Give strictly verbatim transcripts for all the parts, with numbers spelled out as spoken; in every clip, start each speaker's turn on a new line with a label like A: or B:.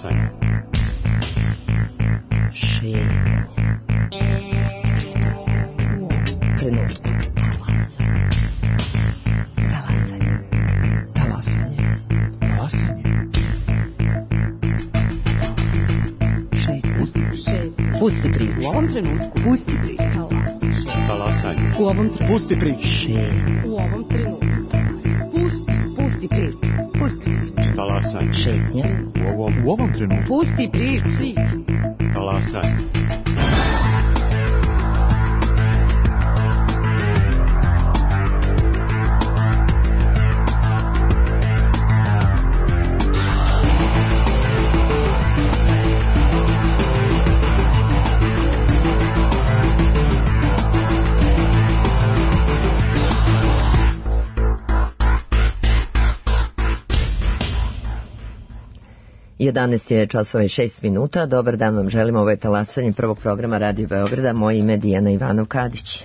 A: Talasanje.
B: Šetnje. Trenutku. Talasanje. Talasanje.
A: Talasanje.
B: Šetnje. Pusti priču.
C: U ovom trenutku.
B: Pusti priču.
A: Talasanje.
C: U ovom trenutku.
A: Pusti priču.
B: Šetnje.
C: U ovom trenutku. Pusti. Pusti priču. Pusti priču.
A: Talasanje.
B: Šetnje.
A: U ovom, u ovom trenutku.
C: Pusti priču.
A: Talasanje.
B: jedanaest je časova i šest minuta. Dobar dan vam želim. Ovo je talasanje prvog programa Radio Beograda. Moje ime je Dijana Ivanov-Kadić.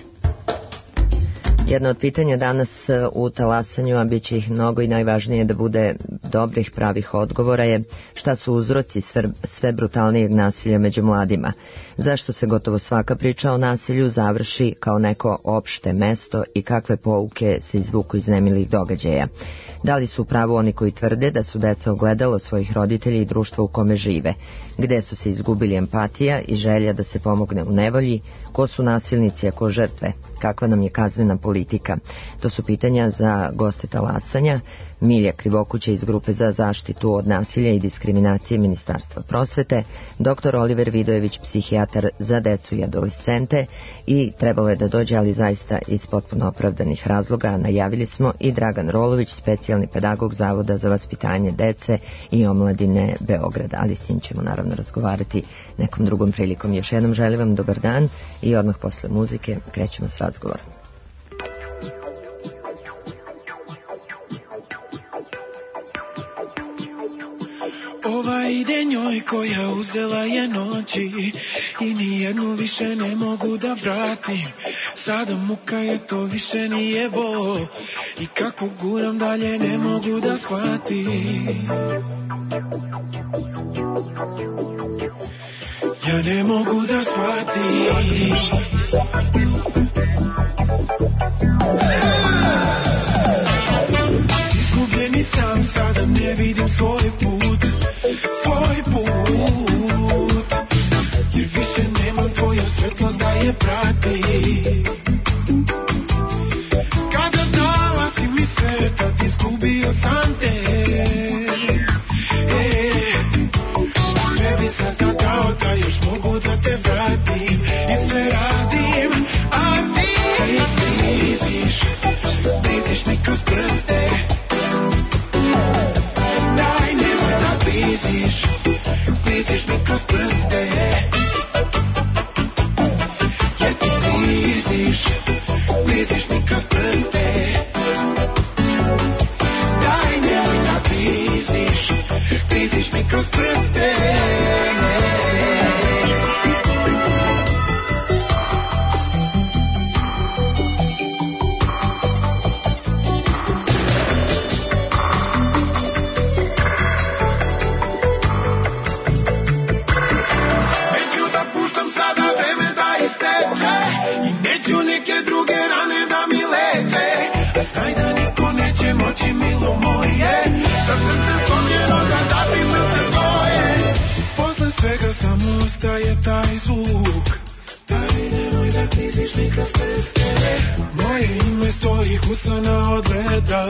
B: Jedno od pitanja danas u talasanju, a bit će ih mnogo i najvažnije da bude dobrih, pravih odgovora, je šta su uzroci sve, sve brutalnijeg nasilja među mladima. Zašto se gotovo svaka priča o nasilju završi kao neko opšte mesto i kakve pouke se izvuku iz nemilih događaja. Da li su u pravu oni koji tvrde da su deca ogledalo svojih roditelja i društva u kome žive? Gde su se izgubili empatija i želja da se pomogne u nevolji? Ko su nasilnici, a ko žrtve? Kakva nam je kaznena politika? To su pitanja za goste talasanja. Milja Krivokuća iz Grupe za zaštitu od nasilja i diskriminacije Ministarstva prosvete, doktor Oliver Vidojević, psihijatar za decu i adolescente, i trebalo je da dođe, ali zaista iz potpuno opravdanih razloga, najavili smo, i Dragan Rolović, specijalni pedagog Zavoda za vaspitanje dece i omladine Beograda, ali s njim ćemo naravno razgovarati nekom drugom prilikom. Još jednom želim vam dobar dan i odmah posle muzike krećemo s razgovorom.
D: Ova ide njoj koja uzela je noći i nijednu više ne mogu da vratim. Sada muka je, to više nije bol i kako guram dalje ne mogu da shvatim. Ja ne mogu da shvatim. Izgubljeni sam, sada ne vidim svoj put, svoj put, jer više nemam tvoju svetlost da je prati. Kada dala si mi sveta, izgubio sam te. E, sve bi sada dao da još mogu da te vratim i sve radim, a ti bliziš, bliziš mi kroz prste. Daj, nemoj da bliziš, bliziš mi kroz prste. Jer ti bliziš, bliziš mi kroz prste. Daj, nemoj da bliziš, bliziš mi kroz prste. Usana odgleda.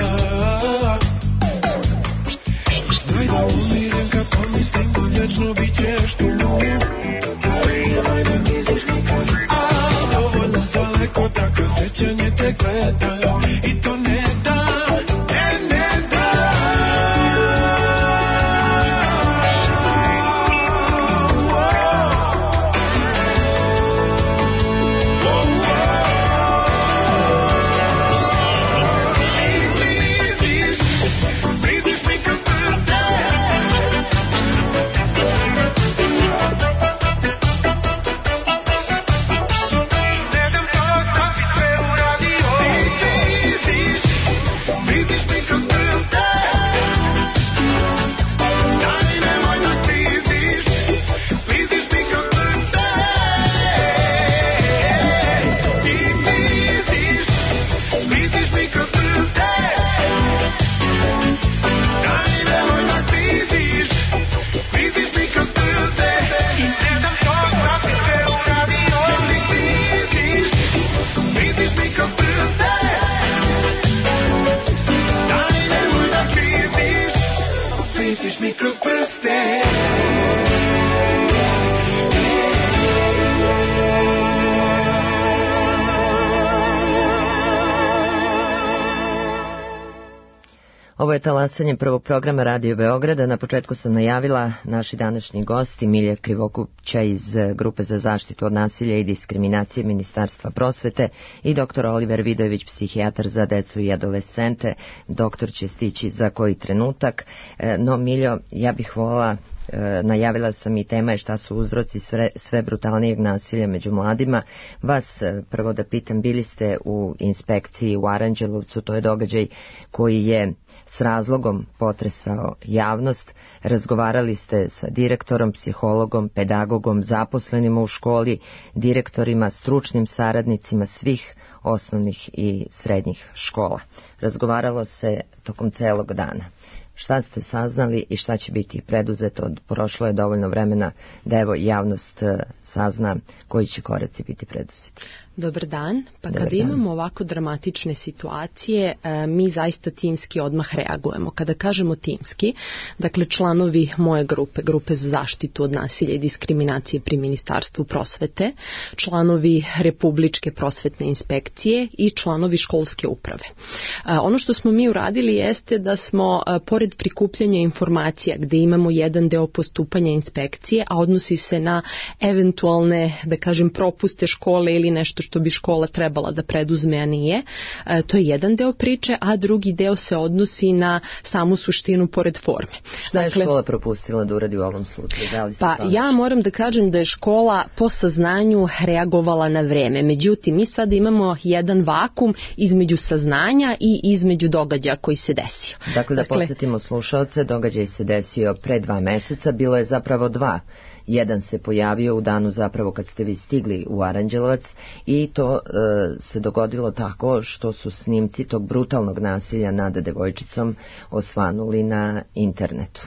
D: Znaj da umirem kad pomislim da vječno bit ćeš tu. Nemoj da misliš nikad, a dovoljno daleko da kroz sećanje te gledam i to ne da, ne, ne da.
B: Ovo je talasanje prvog programa Radio Beograda. Na početku sam najavila naši današnji gosti Milja Krivokuća iz Grupe za zaštitu od nasilja i diskriminacije Ministarstva prosvete i doktor Oliver Vidojević, psihijatar za decu i adolescente. Doktor će stići za koji trenutak. No, Miljo, ja bih volila, najavila sam i tema je šta su uzroci sve, sve brutalnijeg nasilja među mladima. Vas prvo da pitam, bili ste u inspekciji u Aranđelovcu, to je događaj koji je s razlogom potresao javnost. Razgovarali ste sa direktorom, psihologom, pedagogom, zaposlenima u školi, direktorima, stručnim saradnicima svih osnovnih i srednjih škola. Razgovaralo se tokom celog dana. Šta ste saznali i šta će biti preduzeto? Prošlo je dovoljno vremena da evo javnost sazna koji će koraci biti preduzeti.
E: Dobar dan. Pa
B: Dobar
E: kada
B: dan.
E: imamo ovako dramatične situacije, mi zaista timski odmah reagujemo. Kada kažemo timski, dakle članovi moje grupe, grupe za zaštitu od nasilja i diskriminacije pri Ministarstvu prosvete, članovi Republičke prosvetne inspekcije i članovi školske uprave. Ono što smo mi uradili jeste da smo, pored prikupljanja informacija gde imamo jedan deo postupanja inspekcije, a odnosi se na eventualne, da kažem, propuste škole ili nešto što bi škola trebala da preduzme, a nije. E, to je jedan deo priče, a drugi deo se odnosi na samu suštinu pored forme.
B: Šta je škola propustila da uradi u ovom slučaju? Da li se
E: pa
B: to
E: ja moram da kažem da je škola po saznanju reagovala na vreme. Međutim, mi sada imamo jedan vakum između saznanja i između događaja koji se desio.
B: Dakle, da
E: dakle,
B: podsjetimo slušaoce, događaj se desio pre dva meseca, bilo je zapravo dva. Jedan se pojavio u danu zapravo kad ste vi stigli u Aranđelovac i to e, se dogodilo tako što su snimci tog brutalnog nasilja nad devojčicom osvanuli na internetu.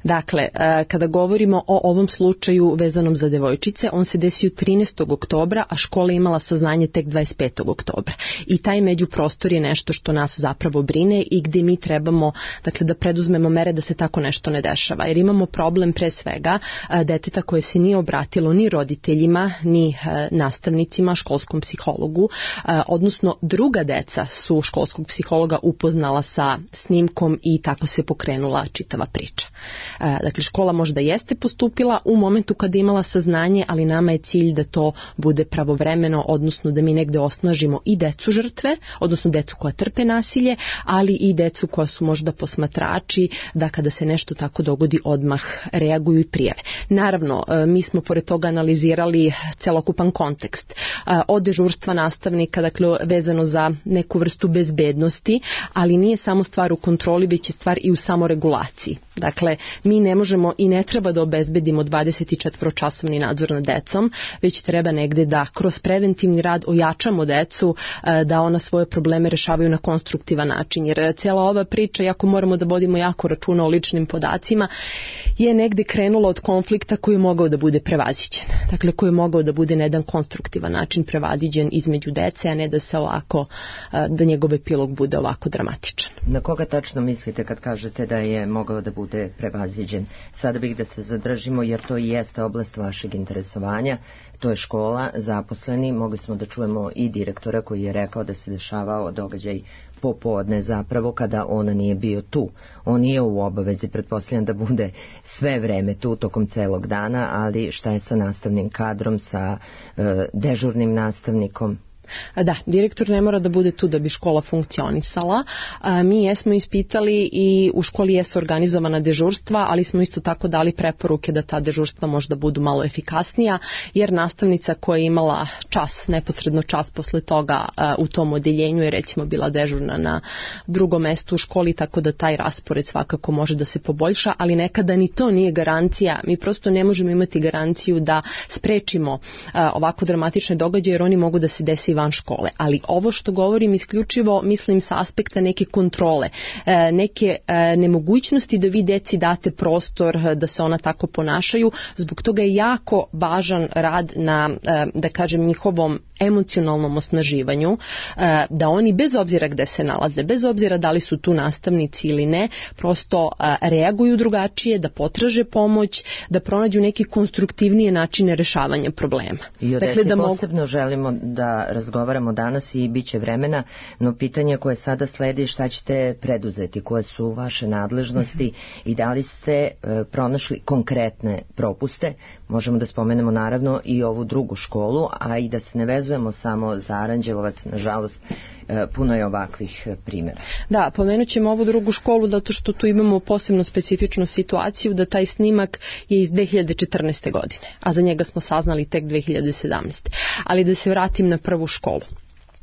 E: Dakle, e, kada govorimo o ovom slučaju vezanom za devojčice, on se desio trinaestog oktobra, a škola imala saznanje tek dvadeset petog oktobra. I taj međuprostor je nešto što nas zapravo brine i gde mi trebamo, dakle, da preduzmemo mere da se tako nešto ne dešava. Jer imamo problem pre svega e, deteta koje se nije obratilo ni roditeljima, ni e, nastavnicima, školskom psihologu, e, odnosno druga deca su školskog psihologa upoznala sa snimkom i tako se pokrenula čitava priča. E, dakle, škola možda jeste postupila u momentu kada je imala saznanje, ali nama je cilj da to bude pravovremeno, odnosno da mi negde osnažimo i decu žrtve, odnosno decu koja trpe nasilje, ali i decu koja su možda posmatrači, da kada se nešto tako dogodi odmah reaguju i prijave. Naravno, mi smo pored toga analizirali celokupan kontekst. Od dežurstva nastavnika, dakle vezano za neku vrstu bezbednosti, ali nije samo stvar u kontroli, već je stvar i u samoregulaciji. Dakle, mi ne možemo i ne treba da obezbedimo dvadesetčetvoročasovni nadzor nad decom, već treba negde da kroz preventivni rad ojačamo decu, da ona svoje probleme rešavaju na konstruktivan način. Jer cijela ova priča, jako moramo da vodimo jako računa o ličnim podacima, je negde krenula od konflikta koji je mogao da bude prevaziđen. Dakle, koji je mogao da bude na jedan konstruktivan način prevaziđen između dece, a ne da se ovako, da njegov epilog bude ovako dramatičan.
B: Na koga tačno mislite kad kažete da je mogao da bude prevaziđen? Sada bih da se zadržimo jer to i jeste oblast vašeg interesovanja. To je škola, zaposleni, mogli smo da čujemo i direktora koji je rekao da se dešavao događaj popodne zapravo kada on nije bio tu. On nije u obavezi, pretpostavljam da bude sve vreme tu tokom celog dana, ali šta je sa nastavnim kadrom, sa e, dežurnim nastavnikom?
E: Da, direktor ne mora da bude tu da bi škola funkcionisala. Mi jesmo ispitali i u školi jesu organizovana dežurstva, ali smo isto tako dali preporuke da ta dežurstva možda budu malo efikasnija, jer nastavnica koja je imala čas, neposredno čas posle toga u tom odeljenju je recimo bila dežurna na drugom mestu u školi, tako da taj raspored svakako može da se poboljša, ali nekada ni to nije garancija. Mi prosto ne možemo imati garanciju da sprečimo ovako dramatične događaje, jer oni mogu da se desi van škole. Ali ovo što govorim isključivo mislim sa aspekta neke kontrole, neke nemogućnosti da vi deci date prostor da se ona tako ponašaju. Zbog toga je jako važan rad na, da kažem, njihovom emocionalnom osnaživanju, da oni bez obzira gde se nalaze, bez obzira da li su tu nastavnici ili ne, prosto reaguju drugačije, da potraže pomoć, da pronađu neki konstruktivnije načine rešavanja problema.
B: I o
E: dakle,
B: deci
E: da mogu...
B: posebno želimo da razgovaramo danas i bit će vremena, no pitanje koje sada sledi, šta ćete preduzeti, koje su vaše nadležnosti mm-hmm. i da li ste e, pronašli konkretne propuste. Možemo da spomenemo naravno i ovu drugu školu, a i da se ne vezujemo samo za Aranđelovac, nažalost puno je ovakvih primjera.
E: Da, pomenut ćemo ovu drugu školu zato što tu imamo posebno specifičnu situaciju da taj snimak je iz dve hiljade četrnaeste. godine, a za njega smo saznali tek dve hiljade sedamnaeste. Ali da se vratim na prvu školu.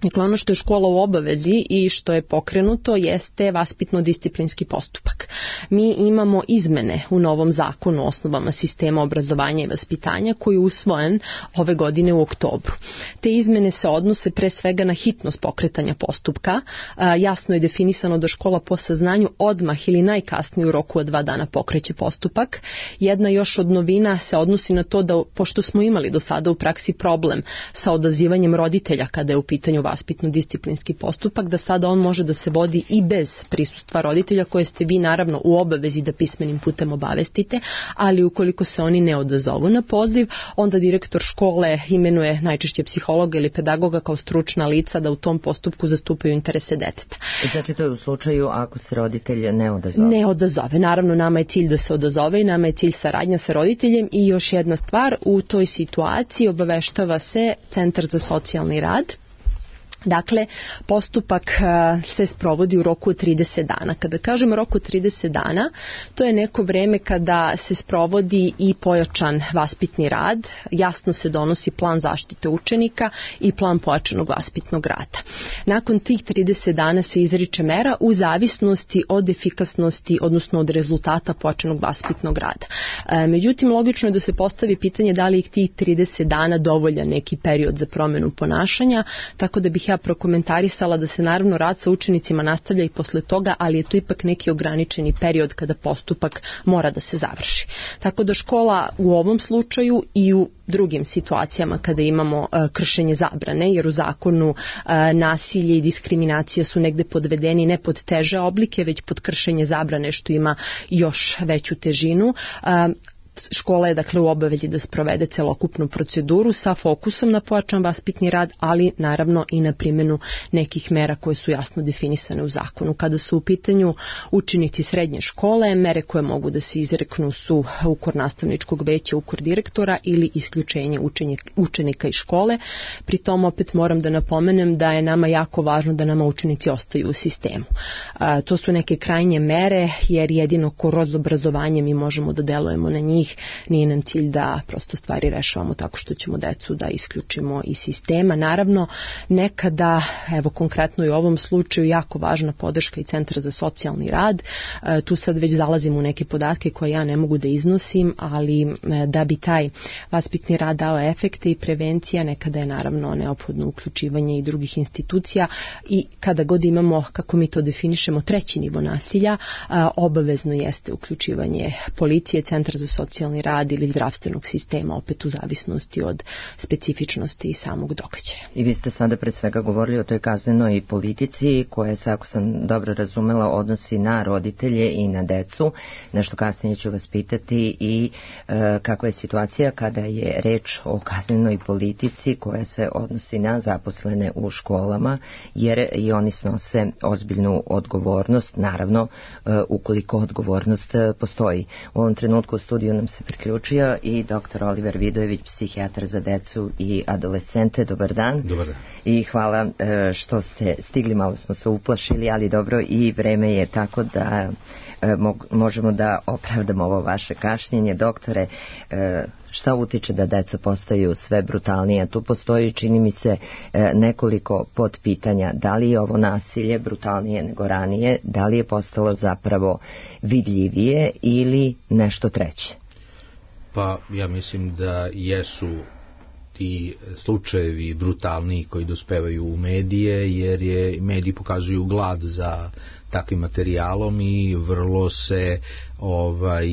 E: Dakle, ono što je škola u obavezi i što je pokrenuto jeste vaspitno-disciplinski postupak. Mi imamo izmene u novom zakonu o osnovama sistema obrazovanja i vaspitanja koji je usvojen ove godine u oktobru. Te izmene se odnose pre svega na hitnost pokretanja postupka. Jasno je definisano da škola po saznanju odmah ili najkasnije u roku od dva dana pokreće postupak. Jedna još od novina se odnosi na to da, pošto smo imali do sada u praksi problem sa odazivanjem roditelja kada je u pitanju vaspitno-disciplinski postupak, da sada on može da se vodi i bez prisustva roditelja koje ste vi naravno u obavezi da pismenim putem obavestite, ali ukoliko se oni ne odazovu na poziv, onda direktor škole imenuje najčešće psihologa ili pedagoga kao stručna lica da u tom postupku zastupaju interese deteta.
B: Znači to je u slučaju ako se roditelj ne odazove?
E: Ne odazove. Naravno, nama je cilj da se odazove i nama je cilj saradnja sa roditeljem i još jedna stvar, u toj situaciji obaveštava se Centar za socijalni rad. Dakle, postupak se sprovodi u roku od trideset dana. Kada kažem roku od trideset dana, to je neko vreme kada se sprovodi i pojačan vaspitni rad, jasno se donosi plan zaštite učenika i plan pojačanog vaspitnog rada. Nakon tih trideset dana se izriče mera u zavisnosti od efikasnosti, odnosno od rezultata pojačanog vaspitnog rada. Međutim, logično je da se postavi pitanje da li je tih trideset dana dovoljan neki period za promenu ponašanja, tako da bih ja prokomentarisala da se naravno rad sa učenicima nastavlja i posle toga, ali je to ipak neki ograničeni period kada postupak mora da se završi. Tako da škola u ovom slučaju i u drugim situacijama kada imamo uh, kršenje zabrane, jer u zakonu uh, nasilje i diskriminacija su negde podvedeni ne pod teže oblike, već pod kršenje zabrane što ima još veću težinu. Uh, Škola je dakle u obavezi da sprovede celokupnu proceduru sa fokusom na pojačan vaspitni rad, ali naravno i na primjenu nekih mera koje su jasno definisane u zakonu. Kada su u pitanju učenici srednje škole, mere koje mogu da se izreknu su ukor nastavničkog veća, ukor direktora ili isključenje učenika iz škole. Pri tom opet moram da napomenem da je nama jako važno da nama učenici ostaju u sistemu. A, to su neke krajnje mere, jer jedino kroz obrazovanje mi možemo da delujemo na njih. Nije nam cilj da prosto stvari rešavamo tako što ćemo decu da isključimo iz sistema. Naravno, nekada, evo konkretno i u ovom slučaju, jako važna podrška i Centra za socijalni rad. E, tu sad već zalazimo u neke podatke koje ja ne mogu da iznosim, ali e, da bi taj vaspitni rad dao efekte i prevencija, nekada je naravno neophodno uključivanje i drugih institucija i kada god imamo, kako mi to definišemo, treći nivo nasilja, a, obavezno jeste uključivanje policije, Centra za socijalni rad ili zdravstvenog sistema, opet u zavisnosti od specifičnosti i samog događaja.
B: I vi ste sada pre svega govorili o toj kaznenoj politici koja se, ako sam dobro razumela, odnosi na roditelje i na decu. Nešto kasnije ću vas pitati i e, kakva je situacija kada je reč o kaznenoj politici koja se odnosi na zaposlene u školama, jer i oni snose ozbiljnu odgovornost, naravno e, ukoliko odgovornost e, postoji. U ovom trenutku u studiju nam se priključio i doktor Oliver Vidojević, psihijatar za decu i adolescente. Dobar dan.
F: Dobar dan.
B: I hvala e, što ste stigli, malo smo se uplašili, ali dobro, i vreme je tako da e, mog, možemo da opravdamo ovo vaše kašnjenje. Doktore, e, šta utiče da deca postaju sve brutalnije? Tu postoji, čini mi se, e, nekoliko podpitanja. Da li je ovo nasilje brutalnije nego ranije? Da li je postalo zapravo vidljivije ili nešto treće?
F: Pa ja mislim da jesu ti slučajevi brutalni koji dospevaju u medije, jer je mediji pokazuju glad za takvim materijalom i vrlo se ovaj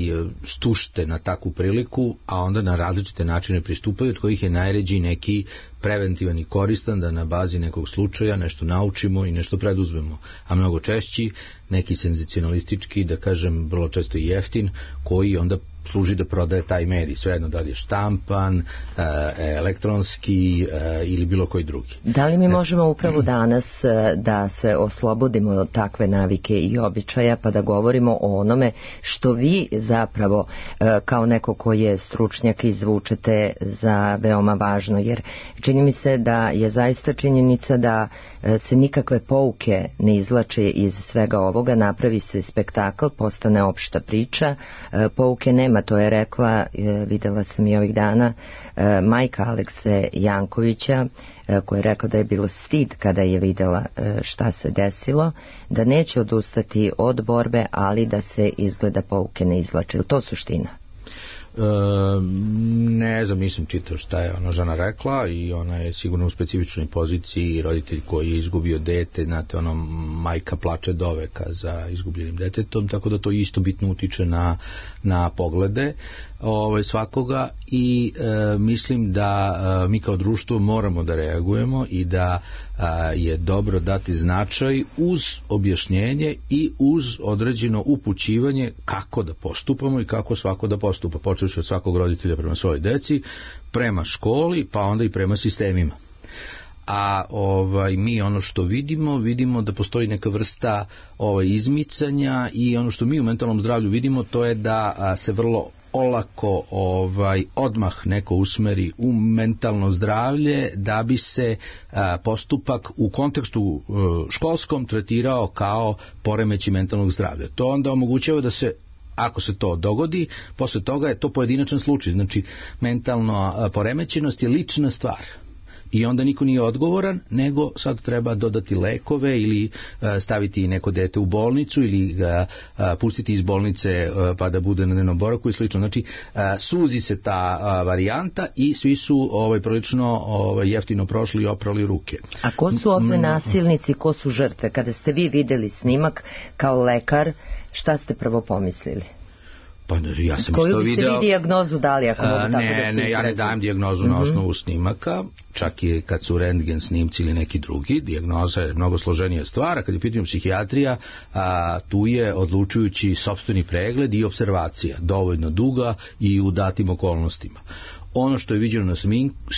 F: stušte na takvu priliku, a onda na različite načine pristupaju, od kojih je najređi neki preventivan i koristan, da na bazi nekog slučaja nešto naučimo i nešto preduzmemo, a mnogo češći neki senzacionalistički, da kažem vrlo često i jeftin, koji onda služi da prodaje taj medij, svejedno da li je štampan, elektronski ili bilo koji drugi.
B: Da li mi možemo upravo danas da se oslobodimo od takve navike i običaja, pa da govorimo o onome što vi zapravo kao neko koji je stručnjak izvučete za veoma važno, jer čini mi se da je zaista činjenica da se nikakve pouke ne izvlače iz svega ovoga, napravi se spektakl, postane opšta priča, pouke nema, to je rekla, videla sam i ovih dana, majka Alekse Jankovića, koja je rekla da je bilo stid kada je videla šta se desilo, da neće odustati od borbe, ali da se izgleda pouke ne izvlače. Ili to suština?
F: E, ne znam, nisam čitao šta je ona žena rekla i ona je sigurno u specifičnoj poziciji, roditelj koji je izgubio dete, znate, ono, majka plače doveka za izgubljenim detetom, tako da to isto bitno utiče na, na poglede ovaj, svakoga i e, mislim da e, mi kao društvo moramo da reagujemo i da e, je dobro dati značaj uz objašnjenje i uz određeno upućivanje kako da postupamo i kako svako da postupa, počevši od svakog roditelja prema svojoj deci, prema školi, pa onda i prema sistemima. A ovaj mi ono što vidimo, vidimo da postoji neka vrsta ovaj izmicanja i ono što mi u mentalnom zdravlju vidimo, to je da a, se vrlo olako ovaj odmah neko usmeri u mentalno zdravlje da bi se a, postupak u kontekstu a, školskom tretirao kao poremećaj mentalnog zdravlja. To onda omogućava da se, ako se to dogodi, posle toga je to pojedinačan slučaj, znači mentalna poremećenost je lična stvar. I onda niko nije odgovoran, nego sad treba dodati lekove ili staviti neko dete u bolnicu ili ga pustiti iz bolnice pa da bude na dnevnom boravku i slično. Znači, suzi se ta varijanta i svi su ovaj, prilično ovaj, jeftino prošli i oprali ruke.
B: A ko su ovdje nasilnici, ko su žrtve? Kada ste vi videli snimak kao lekar, šta ste prvo pomislili?
F: Pa ja sam
B: koju
F: isto
B: biste
F: video,
B: vi dijagnozu dali, ako mogu tako
F: ne,
B: da
F: ne, ja ne dajem dijagnozu mm-hmm. na osnovu snimaka, čak i kad su rentgen snimci ili neki drugi, dijagnoza je mnogo složenija stvar, a kad je pitanje psihijatrija, a, tu je odlučujući sopstveni pregled i observacija, dovoljno duga i u datim okolnostima. Ono što je viđeno na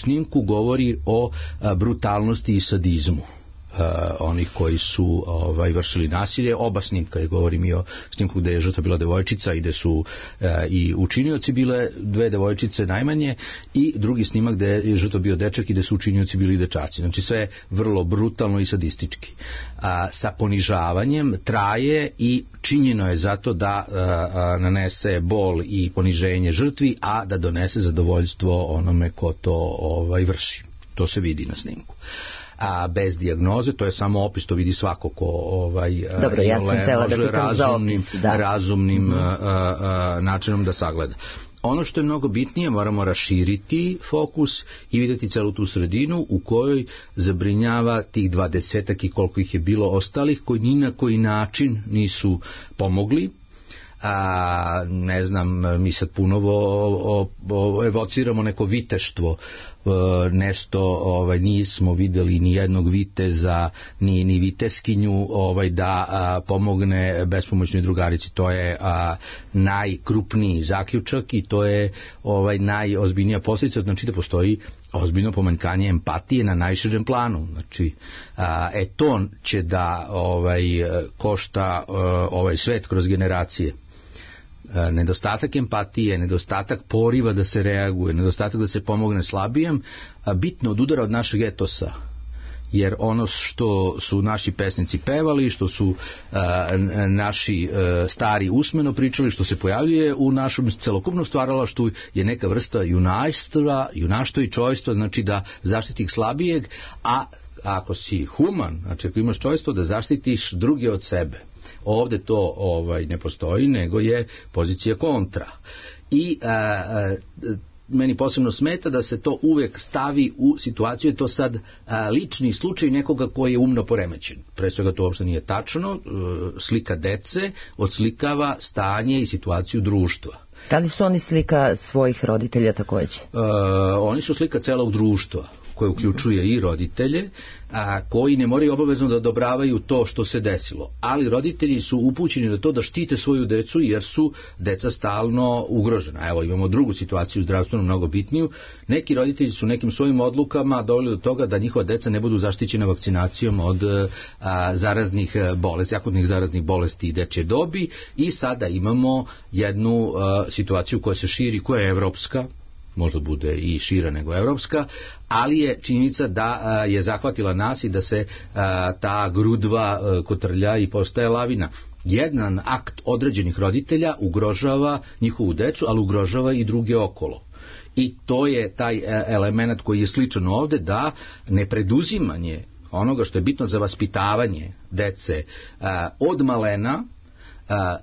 F: snimku govori o a, brutalnosti i sadizmu. Uh, onih koji su ovaj, vršili nasilje. Oba snimka, je govorim i o snimku gde je žrtva bila devojčica i gde su uh, i učinioci bile dve devojčice najmanje, i drugi snimak gde je žrtva bio dečak i gde su učinioci bili dečaci. Znači sve vrlo brutalno i sadistički. Uh, sa ponižavanjem traje i činjeno je zato da uh, uh, nanese bol i poniženje žrtvi, a da donese zadovoljstvo onome ko to ovaj, vrši. To se vidi na snimku. A bez dijagnoze, to je samo opis, to vidi svako ko ovaj,
B: Dobro, ja sam htjela da
F: razumnim,
B: opis, da.
F: razumnim
B: mm-hmm.
F: a, a, načinom da sagleda. Ono što je mnogo bitnije, moramo raširiti fokus i vidjeti celu tu sredinu u kojoj zabrinjava tih dvadesetak i koliko ih je bilo ostalih koji ni na koji način nisu pomogli. A, ne znam, mi sad puno o, o, o, evociramo neko viteštvo, e, nešto ovaj, nismo videli ni jednog viteza, ni, ni viteskinju ovaj, da a, pomogne bespomoćnoj drugarici. To je a, najkrupniji zaključak i to je ovaj, najozbiljnija posljedica, znači da postoji ozbiljno pomanjkanje empatije na najširem planu. Znači, a, e to će da ovaj, košta ovaj svet kroz generacije. Nedostatak empatije, nedostatak poriva da se reaguje, nedostatak da se pomogne slabijem, bitno odudara od našeg etosa. Jer ono što su naši pesnici pevali, što su a, naši a, stari usmeno pričali, što se pojavljuje u našem celokupnom stvaralaštvu je neka vrsta junajstva, junaštva i čojstva, znači da zaštiti slabijeg, a ako si human, znači ako imaš čojstvo, da zaštitiš druge od sebe. Ovde to ovaj, ne postoji, nego je pozicija kontra. I a, a, meni posebno smeta da se to uvek stavi u situaciju, je to sad a, lični slučaj nekoga koji je umno poremećen. Pre svega to uopšte nije tačno, e, slika dece odslikava stanje i situaciju društva.
B: Da li su oni slika svojih roditelja takođe?
F: E, oni su slika celog društva, koje uključuje i roditelje, a, koji ne moraju obavezno da odobravaju to što se desilo. Ali roditelji su upućeni na to da štite svoju decu, jer su deca stalno ugrožena. Evo, imamo drugu situaciju zdravstveno mnogo bitniju. Neki roditelji su nekim svojim odlukama doveli do toga da njihova deca ne budu zaštićena vakcinacijom od a, zaraznih bolesti, akutnih zaraznih bolesti i dečje dobi, i sada imamo jednu a, situaciju koja se širi, koja je evropska, možda bude i šira nego evropska, ali je činjenica da a, je zahvatila nas i da se a, ta grudva a, kotrlja i postaje lavina. Jedan akt određenih roditelja ugrožava njihovu decu, ali ugrožava i druge okolo. I to je taj element koji je sličan ovde, da nepreduzimanje onoga što je bitno za vaspitavanje dece a, od malena, a,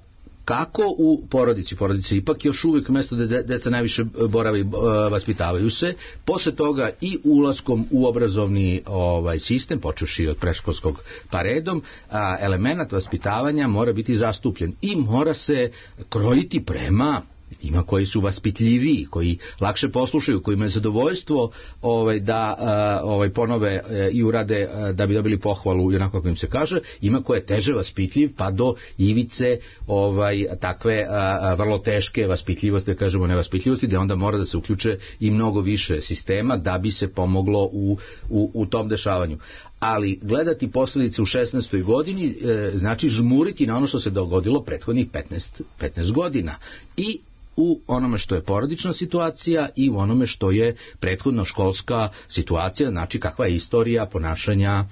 F: kako u porodici, porodici ipak još uvijek mesto da deca najviše borave i vaspitavaju se, posle toga i ulaskom u obrazovni ovaj sistem, počevši od predškolskog pa redom, a, element vaspitavanja mora biti zastupljen i mora se krojiti prema ima koji su vaspitljiviji, koji lakše poslušaju, koji imaju zadovoljstvo ovaj, da ovaj, ponove i urade da bi dobili pohvalu i onako kako im se kaže, ima koje je teže vaspitljiv, pa do ivice ovaj, takve a, vrlo teške vaspitljivosti, da kažemo nevaspitljivosti, da onda mora da se uključe i mnogo više sistema da bi se pomoglo u, u, u tom dešavanju. Ali gledati posledice u šesnaestoj godini e, znači žmuriti na ono što se dogodilo prethodnih petnaest, petnaest godina i u onome što je porodična situacija i u onome što je prethodno školska situacija, znači kakva je istorija ponašanja e,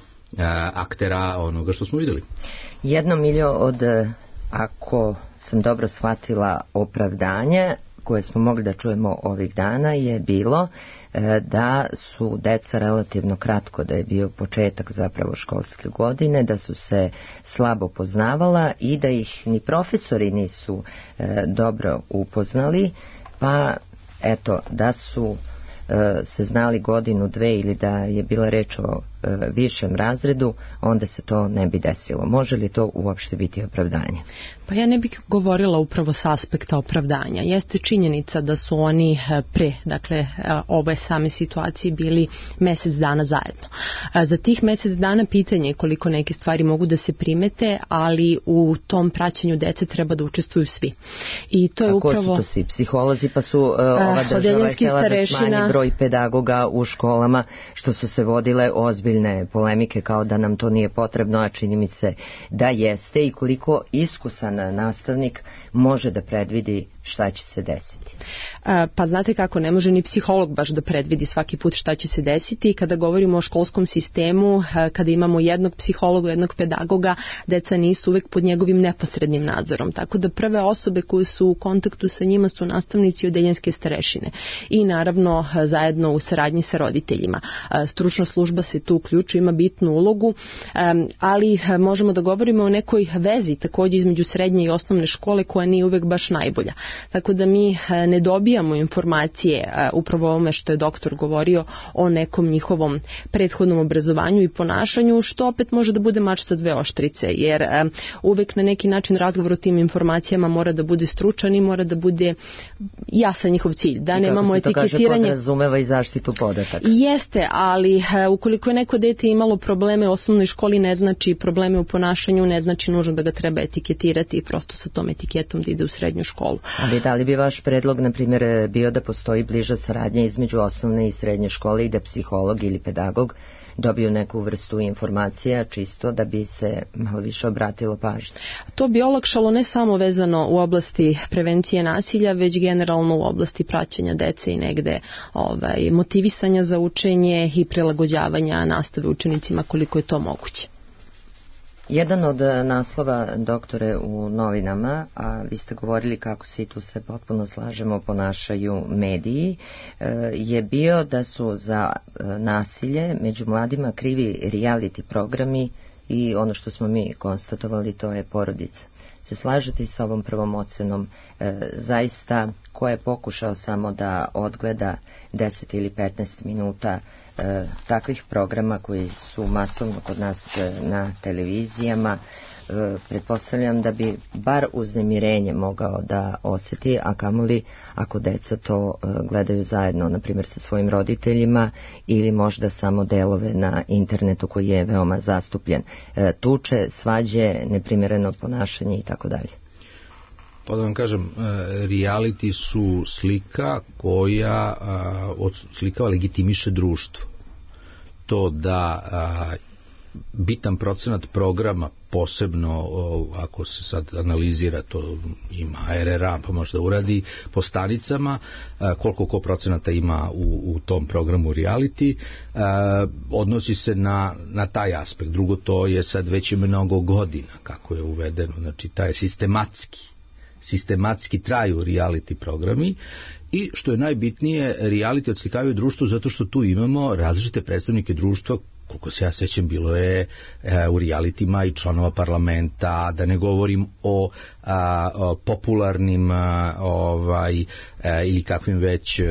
F: aktera onoga što smo vidjeli.
B: Jedno miljo od, ako sam dobro shvatila, opravdanje koje smo mogli da čujemo ovih dana je bilo e, da su deca relativno kratko, da je bio početak zapravo školske godine, da su se slabo poznavala i da ih ni profesori nisu e, dobro upoznali, pa eto, da su e, se znali godinu, dve ili da je bila reč o e, višem razredu, onda se to ne bi desilo. Može li to uopšte biti opravdanje?
E: Pa ja ne bih govorila upravo s aspekta opravdanja. Jeste činjenica da su oni pre, dakle, ove same situacije bili mesec dana zajedno. Za tih mesec dana pitanje je koliko neke stvari mogu da se primete, ali u tom praćenju dece treba da učestvuju svi. I to je
B: A
E: upravo...
B: ko su to svi? Psiholozi, pa su uh, ova država htjela da smanji broj pedagoga u školama, što su se vodile ozbiljne polemike kao da nam to nije potrebno, a čini mi se da jeste, i koliko iskusan nastavnik može da predvidi šta će se desiti.
E: Pa znate kako, ne može ni psiholog baš da predvidi svaki put šta će se desiti. Kada govorimo o školskom sistemu, kada imamo jednog psihologa, jednog pedagoga, deca nisu uvek pod njegovim neposrednim nadzorom. Tako da prve osobe koje su u kontaktu sa njima su nastavnici i odeljenske starešine. I naravno zajedno u saradnji sa roditeljima. Stručna služba se tu uključuje, ima bitnu ulogu, ali možemo da govorimo o nekoj vezi takođe između srednje i osnovne škole koja nije uvek baš najbolja. Tako da mi ne dobijamo informacije upravo ovome što je doktor govorio o nekom njihovom prethodnom obrazovanju i ponašanju, što opet može da bude mač sa dve oštrice, jer uvek na neki način razgovor o tim informacijama mora da bude stručan i mora da bude jasan njihov cilj, da nemamo etiketiranje.
B: I kako se to kaže, podrazumeva i zaštitu podataka.
E: Jeste, ali ukoliko je neko dete imalo probleme u osnovnoj školi, ne znači probleme u ponašanju, ne znači nužno da ga treba etiketirati i prosto sa tom etiketom da ide u srednju školu.
B: Ali da li bi vaš predlog, na primjer, bio da postoji bliža saradnja između osnovne i srednje škole i da psiholog ili pedagog dobiju neku vrstu informacija čisto da bi se malo više obratilo pažnje?
E: To bi olakšalo ne samo vezano u oblasti prevencije nasilja, već generalno u oblasti praćenja dece i negde ovaj, motivisanja za učenje i prilagođavanja nastave učenicima koliko je to moguće.
B: Jedan od naslova, doktore, u novinama, a vi ste govorili kako se i tu se potpuno slažemo ponašaju mediji, je bio da su za nasilje među mladima krivi reality programi i ono što smo mi konstatovali, to je porodica. se slažete i sa ovom prvom ocenom? E, zaista, ko je pokušao samo da odgleda deset ili petnaest minuta e, takvih programa koji su masovno kod nas e, na televizijama, e, pretpostavljam da bi bar uznemirenje mogao da osjeti, a kamoli ako deca to e, gledaju zajedno, na primjer sa svojim roditeljima, ili možda samo delove na internetu koji je veoma zastupljen. E, tuče, svađe, neprimjereno ponašanje i tako dalje.
F: Pa da vam kažem, reality su slika koja odslikava, legitimiše društvo. To da bitan procenat programa, posebno ako se sad analizira, to ima R R A pa možda uradi po stanicama, koliko ko procenata ima u, u tom programu reality, odnosi se na, na taj aspekt. Drugo, to je sad već mnogo godina kako je uvedeno, znači taj sistematski sistematski traju reality programi i što je najbitnije, reality odslikavaju društvo zato što tu imamo različite predstavnike društva. Koliko se ja sećam, bilo je e, u realitima i članova parlamenta, da ne govorim o, a, o popularnim a, ovaj, a, ili kakvim već a,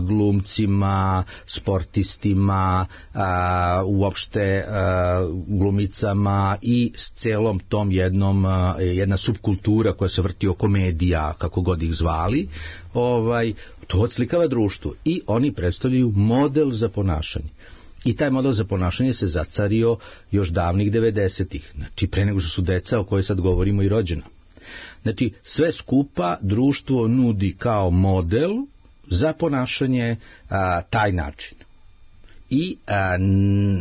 F: glumcima, sportistima, a, uopšte a, glumicama i s celom tom jednom, a, jedna subkultura koja se vrti oko medija, kako god ih zvali, ovaj, to odslikava društvo i oni predstavljaju model za ponašanje. I taj model za ponašanje se zacario još davnih devedesetih, znači pre nego što su deca o kojoj sad govorimo i rođena. Znači sve skupa društvo nudi kao model za ponašanje a, taj način. I a,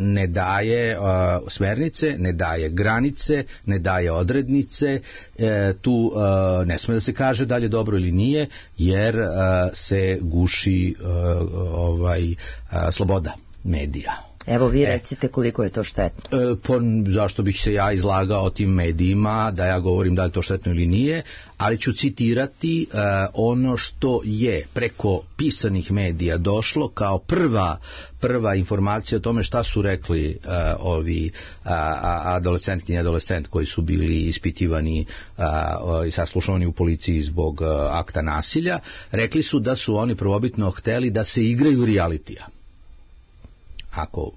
F: ne daje a, smernice, ne daje granice, ne daje odrednice, e, tu a, ne sme da se kaže da li je dobro ili nije, jer a, se guši a, ovaj, a, sloboda medija.
B: Evo vi recite koliko je to štetno.
F: E, po, zašto bih se ja izlagao tim medijima, da ja govorim da li je to štetno ili nije, ali ću citirati e, ono što je preko pisanih medija došlo kao prva prva informacija o tome šta su rekli e, ovi a, adolescentki i adolescent koji su bili ispitivani a, i saslušani u policiji zbog a, akta nasilja. Rekli su da su oni prvobitno hteli da se igraju realitija. Ako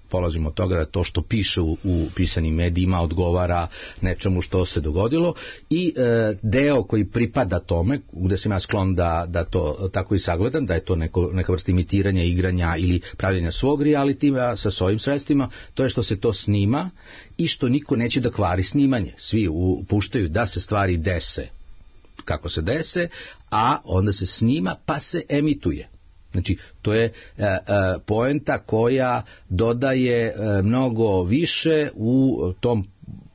F: polazimo od toga da to što piše u, u pisanim medijima odgovara nečemu što se dogodilo i e, deo koji pripada tome, gde sam ja sklon da, da to tako i sagledam, da je to neko, neka vrsta imitiranja, igranja ili pravljenja svog realitija sa svojim sredstvima, to je što se to snima i što niko neće da kvari snimanje. Svi puštaju da se stvari dese kako se dese, a onda se snima pa se emituje. Znači, to je e, e, poenta koja dodaje e, mnogo više u tom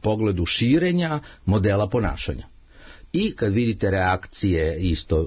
F: pogledu širenja modela ponašanja. I kad vidite reakcije isto e,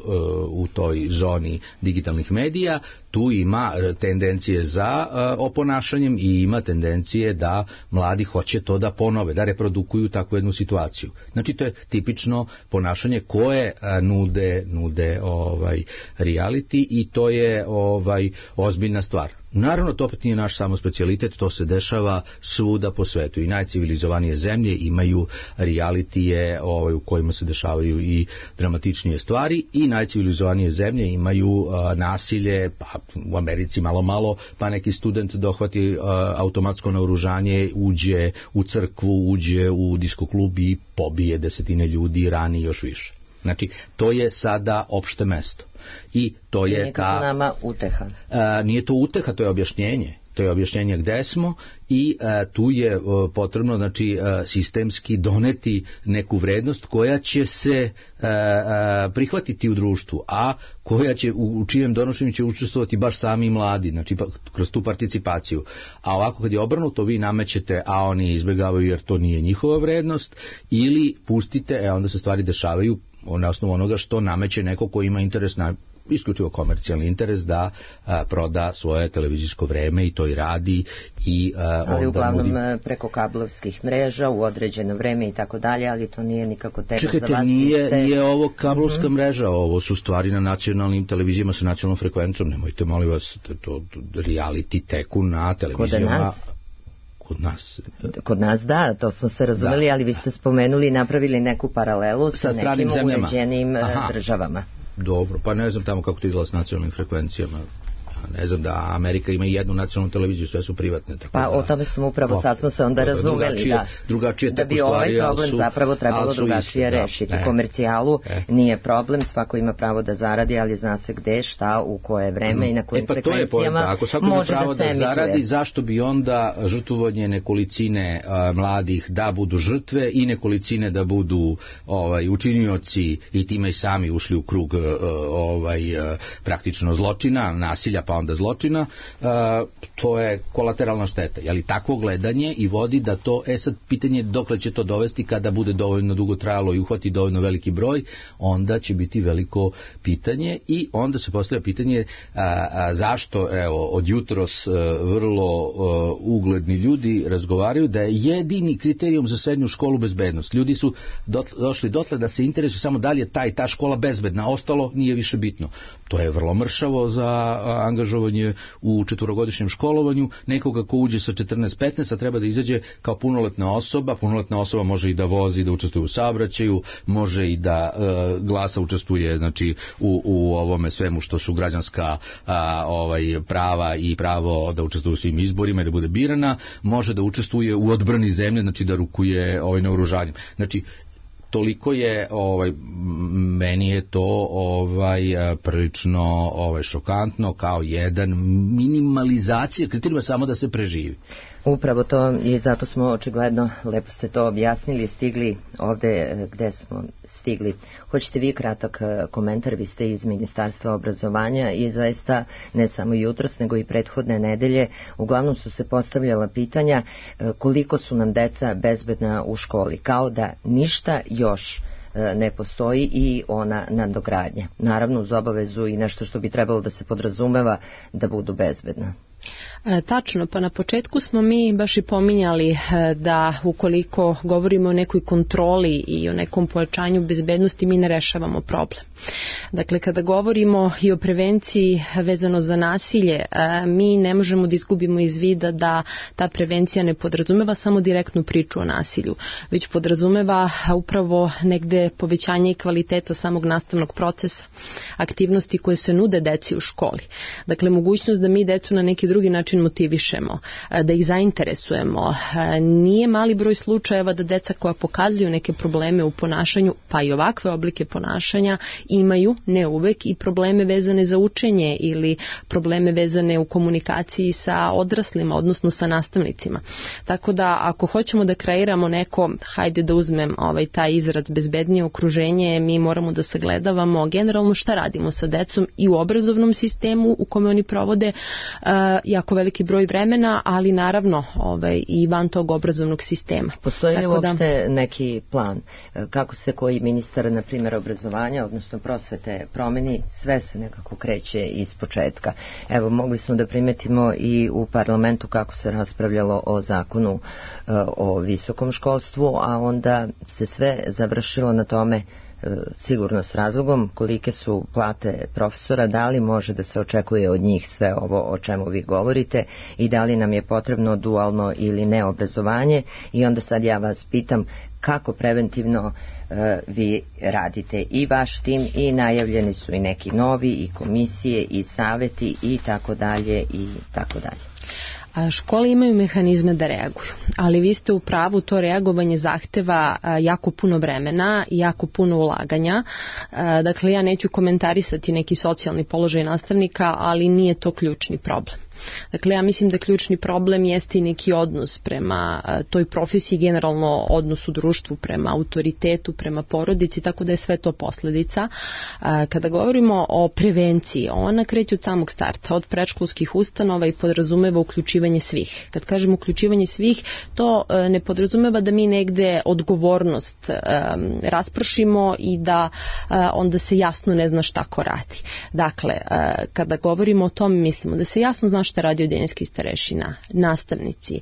F: u toj zoni digitalnih medija, tu ima tendencije za e, oponašanjem i ima tendencije da mladi hoće to da ponove, da reprodukuju takvu jednu situaciju. Znači to je tipično ponašanje koje e, nude, nude ovaj, reality i to je ovaj, ozbiljna stvar. Naravno, to opet nije naš samo specijalitet, to se dešava svuda po svetu i najcivilizovanije zemlje imaju realitije ovaj, u kojima se dešavaju i dramatičnije stvari i najcivilizovanije zemlje imaju a, nasilje, pa u Americi malo malo, pa neki student dohvati a, automatsko naoružanje, uđe u crkvu, uđe u disko klub i pobije desetine ljudi i rani još više. Znači, to je sada opšte mesto. I to je
B: nije
F: ta...
B: to nama uteha.
F: A, nije to uteha, to je objašnjenje. To je objašnjenje gde smo i a, tu je a, potrebno znači, a, sistemski doneti neku vrednost koja će se a, a, prihvatiti u društvu, a koja će, u, u čijem donošenju će učestvovati baš sami mladi, znači pa, kroz tu participaciju. A ovako kad je obrnuto, vi namećete, a oni izbjegavaju jer to nije njihova vrednost, ili pustite, e onda se stvari dešavaju na osnovu onoga što nameće neko ko ima interes na isključivo komercijalni interes da a, proda svoje televizijsko vreme i to i radi i a,
B: ali
F: onda
B: uglavnom
F: nudi...
B: preko kablovskih mreža u određeno vreme i tako dalje, ali to nije nikako tema
F: Čekajte,
B: za vas.
F: nije,
B: ste...
F: nije ovo kablovska
B: uh-huh.
F: mreža, ovo su stvari na nacionalnim televizijama sa nacionalnom frekvencijom, nemojte molim vas, to, to reality teku na televizijama.
B: Kod nas?
F: Kod nas.
B: Kod nas da, to smo se razumeli, da, ali vi ste spomenuli i napravili neku paralelu sa, sa nekim uređenim državama.
F: Dobro, pa ne znam tamo kako to izgleda s nacionalnim frekvencijama. Ne znam da Amerika ima i jednu nacionalnu televiziju, sve su privatne. Tako
B: pa
F: da,
B: o tome smo upravo, o, sad smo se onda razumeli drugačije,
F: da, drugačije
B: da bi ovaj problem su, zapravo trebalo drugačije isti, rešiti. Da, komercijalu e. nije problem, svako ima pravo da zaradi, ali zna se gde, šta, u koje vreme i na kojim
F: e, pa
B: frekvencijama
F: ako svako ima pravo da, da zaradi, zašto bi onda žrtvovanje nekolicine a, mladih da budu žrtve i nekolicine da budu ovaj, učinioci i time i sami ušli u krug a, ovaj, a, praktično zločina, nasilja pa onda zločina, uh, to je kolateralna šteta. Ali takvo gledanje i vodi da to, e sad pitanje dokle će to dovesti kada bude dovoljno dugo trajalo i uhvati dovoljno veliki broj, onda će biti veliko pitanje i onda se postavlja pitanje a, a, zašto, evo, od jutros a, vrlo a, ugledni ljudi razgovaraju da je jedini kriterijum za srednju školu bezbednost. Ljudi su dot, došli dotle da se interesuju samo da li je ta i ta škola bezbedna, ostalo nije više bitno. To je vrlo mršavo za a, angažovanje u četvorogodišnjem školovanju, nekoga ko uđe sa četrnaest petnaest, a treba da izađe kao punoletna osoba. Punoletna osoba može i da vozi, da učestvuje u saobraćaju, može i da e, glasa, učestvuje znači u, u ovome svemu što su građanska a, ovaj prava i pravo da učestvuje u svim izborima i da bude birana, može da učestvuje u odbrani zemlje, znači da rukuje ovaj naoružanjem. Znači toliko je, ovaj, meni je to ovaj, prilično ovaj, šokantno kao jedan minimalizacija kriterijuma samo da se preživi.
B: Upravo to i zato smo očigledno, lepo ste to objasnili, stigli ovde gde smo stigli. Hoćete vi kratak komentar, vi ste iz Ministarstva obrazovanja i zaista ne samo jutros nego i prethodne nedelje uglavnom su se postavljala pitanja koliko su nam deca bezbedna u školi, kao da ništa još ne postoji i ona nadogradnja. Naravno uz obavezu i nešto što bi trebalo da se podrazumeva da budu bezbedna.
E: E, tačno, pa na početku smo mi baš i pominjali e, da ukoliko govorimo o nekoj kontroli i o nekom pojačanju bezbednosti mi ne rešavamo problem. Dakle, kada govorimo i o prevenciji vezano za nasilje, e, mi ne možemo da izgubimo iz vida da ta prevencija ne podrazumeva samo direktnu priču o nasilju, već podrazumeva upravo negde povećanje i kvaliteta samog nastavnog procesa, aktivnosti koje se nude deci u školi. Dakle, mogućnost da mi decu na neki drugi način motivišemo, da ih zainteresujemo. Nije mali broj slučajeva da deca koja pokazuju neke probleme u ponašanju, pa i ovakve oblike ponašanja, imaju, ne uvek, i probleme vezane za učenje ili probleme vezane u komunikaciji sa odraslima, odnosno sa nastavnicima. Tako da ako hoćemo da kreiramo neko, hajde da uzmem ovaj taj izraz bezbednije okruženje, mi moramo da sagledavamo generalno šta radimo sa decom i u obrazovnom sistemu u kome oni provode uh, jako veliki broj vremena, ali naravno ovaj, i van tog obrazovnog sistema.
B: Postoji li uopšte da... neki plan kako se koji ministar, na primjer, obrazovanja, odnosno prosvete promeni, sve se nekako kreće iz početka. Evo, mogli smo da primetimo i u parlamentu kako se raspravljalo o zakonu o visokom školstvu, a onda se sve završilo na tome, sigurno s razlogom, kolike su plate profesora, da li može da se očekuje od njih sve ovo o čemu vi govorite i da li nam je potrebno dualno ili ne obrazovanje. I onda sad ja vas pitam kako preventivno uh, vi radite i vaš tim, i najavljeni su i neki novi i komisije i saveti i tako dalje i tako dalje.
E: Škole imaju mehanizme da reaguju, ali vi ste u pravu, to reagovanje zahteva jako puno vremena i jako puno ulaganja. Dakle, ja neću komentarisati neki socijalni položaj nastavnika, ali nije to ključni problem. Dakle, ja mislim da ključni problem jeste i neki odnos prema toj profesiji, generalno odnos u društvu, prema autoritetu, prema porodici, tako da je sve to posledica. Kada govorimo o prevenciji, ona kreće od samog starta, od predškolskih ustanova i podrazumeva uključivanje svih. Kad kažem uključivanje svih, to ne podrazumeva da mi negde odgovornost raspršimo i da onda se jasno ne zna šta ko radi. Dakle, kada govorimo o tome, mislimo da se jasno zna šta radi odeljenski starešina, nastavnici,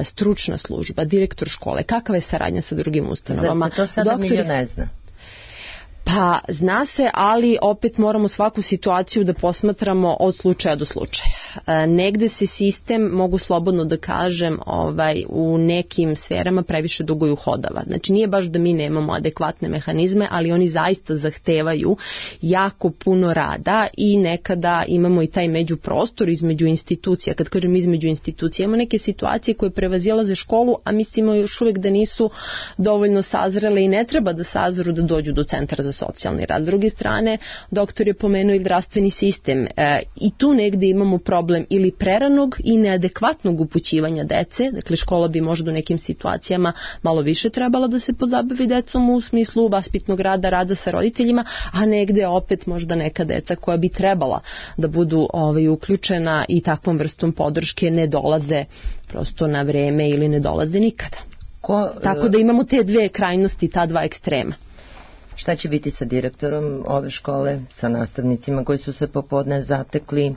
E: stručna služba, direktor škole, kakva je saradnja sa drugim ustanovama.
B: Zar se to sada Doktori... milio ne zna?
E: Pa zna se, ali opet moramo svaku situaciju da posmatramo od slučaja do slučaja. negde se sistem, mogu slobodno da kažem, ovaj, u nekim sferama previše dugo i uhodava. Znači nije baš da mi nemamo adekvatne mehanizme, ali oni zaista zahtevaju jako puno rada i nekada imamo i taj međuprostor između institucija. Kad kažem između institucija, imamo neke situacije koje prevazilaze školu, a mislimo još uvek da nisu dovoljno sazrele i ne treba da sazru da dođu do centra za socijalni rad. S druge strane, doktor je pomenuo i zdravstveni sistem e, i tu negde imamo problem ili preranog i neadekvatnog upućivanja dece, dakle škola bi možda u nekim situacijama malo više trebala da se pozabavi decom u smislu vaspitnog rada, rada sa roditeljima, a negde opet možda neka deca koja bi trebala da budu ovaj, uključena i takvom vrstom podrške ne dolaze prosto na vreme ili ne dolaze nikada. Ko, Tako da imamo te dve krajnosti, ta dva ekstrema.
B: Šta će biti sa direktorom ove škole, sa nastavnicima koji su se popodne zatekli?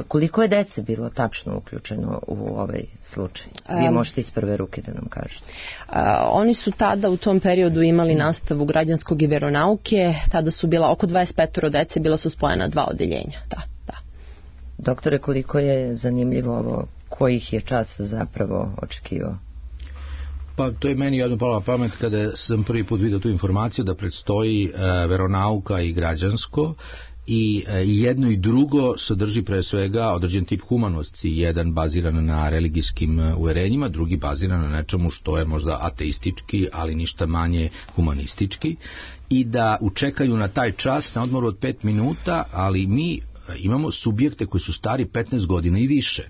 B: Koliko je dece bilo tačno uključeno u ovaj slučaj? Vi um, možete iz prve ruke da nam kažete.
E: Uh, oni su tada u tom periodu imali nastavu građanskog i veronauke, tada su bila oko dvadeset pet dece, bila su spojena dva odeljenja. Da, da.
B: Doktore, koliko je zanimljivo ovo, kojih je čas zapravo očekivao?
F: Pa to je meni jedno palo na pamet kada sam prvi put vidio tu informaciju da predstoji e, veronauka i građansko i e, jedno i drugo sadrži pre svega određen tip humanosti, jedan baziran na religijskim uverenjima, drugi baziran na nečemu što je možda ateistički, ali ništa manje humanistički, i da učekaju na taj čas na odmoru od pet minuta, ali mi imamo subjekte koji su stari petnaest godina i više.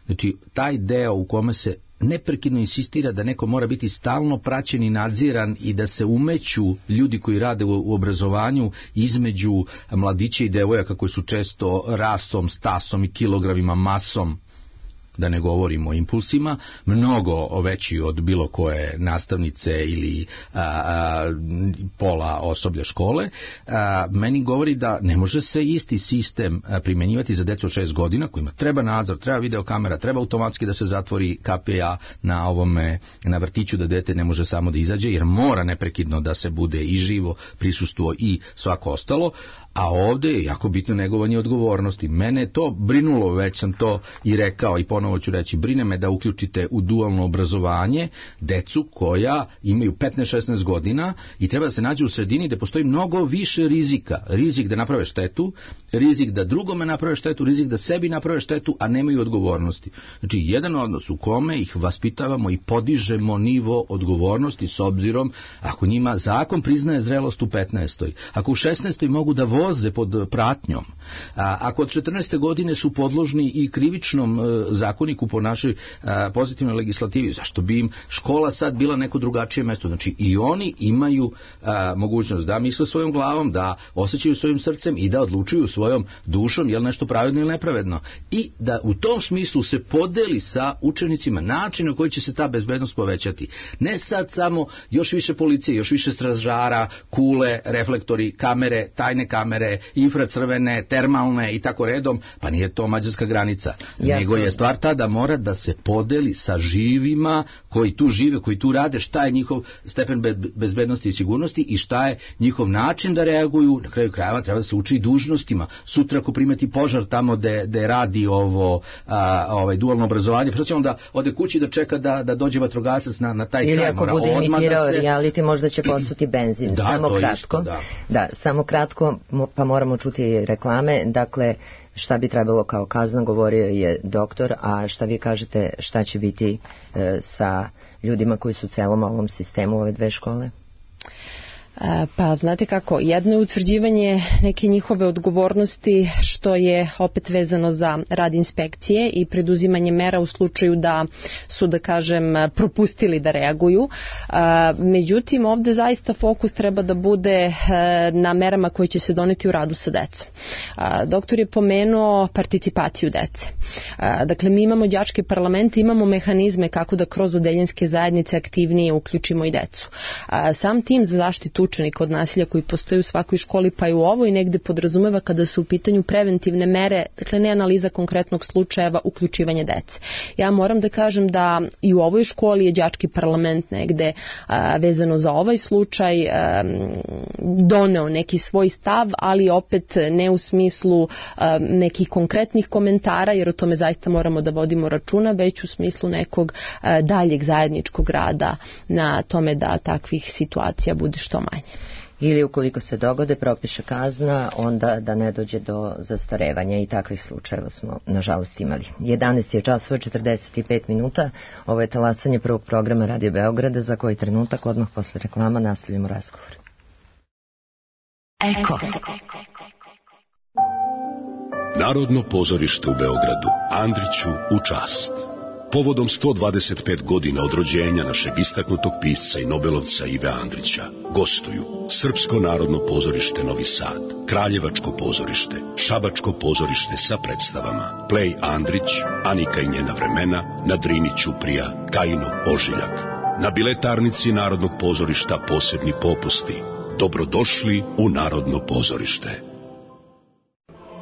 F: Znači, taj deo u kome se neprekidno insistira da neko mora biti stalno praćen i nadziran i da se umeću ljudi koji rade u, u obrazovanju između mladića i devojaka koji su često rastom, stasom i kilogramima, masom, da ne govorimo o impulsima, mnogo veći od bilo koje nastavnice ili a, a, pola osoblja škole, a, meni govori da ne može se isti sistem primenjivati za decu od šest godina, kojima treba nadzor, treba videokamera, treba automatski da se zatvori K P A na ovome, na vrtiću, da dete ne može samo da izađe, jer mora neprekidno da se bude i živo prisustvo i svako ostalo. A ovde je jako bitno negovanje odgovornosti. Mene je to brinulo, već sam to i rekao i ponovo ću reći, brine me da uključite u dualno obrazovanje decu koja imaju petnaest šesnaest godina i treba da se nađe u sredini gde postoji mnogo više rizika. Rizik da naprave štetu, rizik da drugome naprave štetu, rizik da sebi naprave štetu, a nemaju odgovornosti. Znači, jedan odnos u kome ih vaspitavamo i podižemo nivo odgovornosti s obzirom, ako njima zakon priznaje zrelost u petnaestoj, ako u šesnaestoj mogu da voze pod pratnjom, a, ako od četrnaeste godine su podložni i krivičnom e, zakoniku po našoj a, pozitivnoj legislativi, zašto bi im škola sad bila neko drugačije mesto? Znači i oni imaju a, mogućnost da misle svojom glavom, da osjećaju svojim srcem i da odlučuju svojom dušom je li nešto pravedno ili nepravedno, i da u tom smislu se podeli sa učenicima način na koji će se ta bezbednost povećati. Ne sad samo još više policije, još više stražara, kule, reflektori, kamere, tajne kamere, infracrvene, termalne i tako redom, pa nije to mađarska granica. Jasno. Nego je stvar ta da mora da se podeli sa živima koji tu žive, koji tu rade, šta je njihov stepen bezbednosti i sigurnosti i šta je njihov način da reaguju. Na kraju krajeva treba da se uči i dužnostima. Sutra ako primeti požar tamo gde, gde radi ovo a, ovaj, dualno obrazovanje, pa će onda ode kući da čeka da, da dođe vatrogasac na, na taj
B: ili
F: kraj.
B: Ili ako bude imitirao se... reality, možda će posuti benzin.
F: Da,
B: samo kratko.
F: Isto, da.
B: Da, samo kratko, pa moramo čuti reklame. Dakle, šta bi trebalo kao kazna, govorio je doktor, a šta vi kažete, šta će biti e, sa ljudima koji su u celom ovom sistemu ove dve škole?
E: Pa znate kako, jedno je utvrđivanje neke njihove odgovornosti, što je opet vezano za rad inspekcije i preduzimanje mera u slučaju da su, da kažem, propustili da reaguju. Međutim, ovde zaista fokus treba da bude na merama koje će se doneti u radu sa decom. Doktor je pomenuo participaciju dece. Dakle, mi imamo đačke parlamente, imamo mehanizme kako da kroz odeljenske zajednice aktivnije uključimo i decu. Sam tim za zaštitu učenika od nasilja koji postoji u svakoj školi, pa i u ovoj negde podrazumeva kada su u pitanju preventivne mere, dakle ne analiza konkretnog slučajeva, uključivanje dece. Ja moram da kažem da i u ovoj školi je đački parlament negde a, vezano za ovaj slučaj a, doneo neki svoj stav, ali opet ne u smislu a, nekih konkretnih komentara, jer o tome zaista moramo da vodimo računa, već u smislu nekog a, daljeg zajedničkog rada na tome da takvih situacija bude što manje.
B: Ili ukoliko se dogode, propiše kazna, onda da ne dođe do zastarevanja, i takvih slučajeva smo nažalost imali. jedanaest je časova četrdeset pet minuta, ovo je talasanje prvog programa Radio Beograda, za koji trenutak odmah posle reklama nastavljamo razgovor.
G: Eko. Narodno pozorište u Beogradu, Andriću u čast. Povodom sto dvadeset pet godina od rođenja našeg istaknutog pisca i nobelovca Ive Andrića gostuju Srpsko narodno pozorište Novi Sad, Kraljevačko pozorište, Šabačko pozorište sa predstavama Plej Andrić, Anika i njena vremena, na Drini Ćuprija, Kajinov ožiljak. Na biletarnici Narodnog pozorišta posebni popusti. Dobrodošli u Narodno pozorište.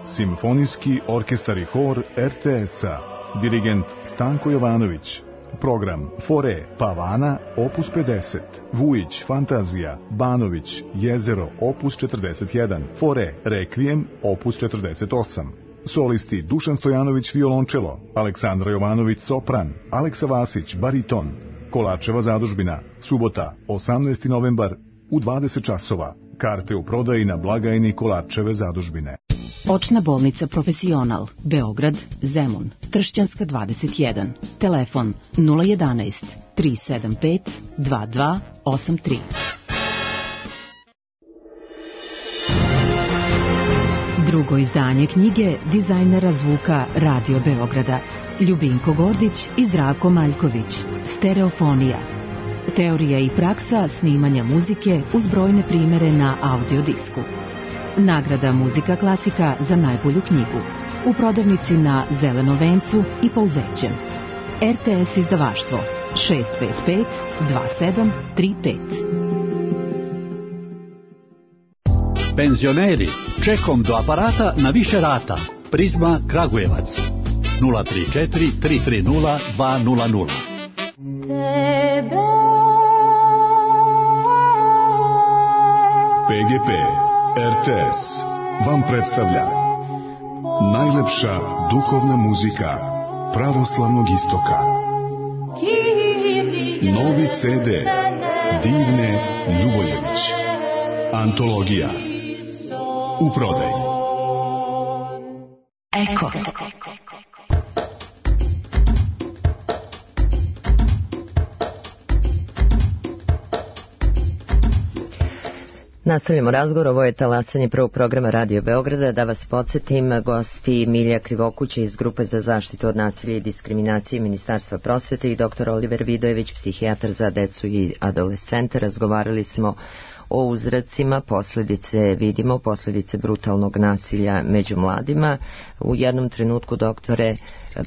H: Simfonijski orkestar i hor er te es-a. Dirigent Stanko Jovanović. Program Fore Pavana opus pedeset, Vujić Fantazija, Banović Jezero opus četrdeset jedan, Fore Rekvijem opus četrdeset osam. Solisti Dušan Stojanović violončelo, Aleksandra Jovanović sopran, Aleksa Vasić bariton. Kolačeva zadužbina, subota osamnaesti novembar u dvadeset časova. Karte u prodaji na blagajni Kolačeve zadužbine.
I: Očna bolnica Profesional, Beograd, Zemun, Tršćanska dvadeset jedan. Telefon nula jedanaest, tri sedam pet, dva dva osam tri. Drugo izdanje knjige dizajnera zvuka Radio Beograda Ljubinko Gordić i Zdravko Maljković. Stereofonija. Teorija i praksa snimanja muzike uz brojne primere na audio disku. Nagrada Muzika klasika za najbolju knjigu. U prodavnici na Zelenom vencu i Pouzećem. er te es izdavaštvo šest pet pet dva sedam tri pet.
J: Penzioneri, čekom do aparata na više rata. Prizma Kragujevac nula tri četiri tri tri nula dva nula nula.
H: pe ge pe er te es vam predstavlja najlepša duhovna muzika pravoslavnog istoka. Novi ce de Divne Ljuboljević. Antologija u prodaji.
G: Eko.
B: Nastavljamo razgovor, ovo je talasanje prvog programa Radio Beograda. Da vas podsjetim, gosti Milja Krivokuća iz Grupe za zaštitu od nasilja i diskriminacije Ministarstva prosvete i doktor Oliver Vidojević, psihijatar za decu i adolescente. Razgovarali smo o uzrocima, posljedice vidimo, posljedice brutalnog nasilja među mladima. U jednom trenutku, doktore,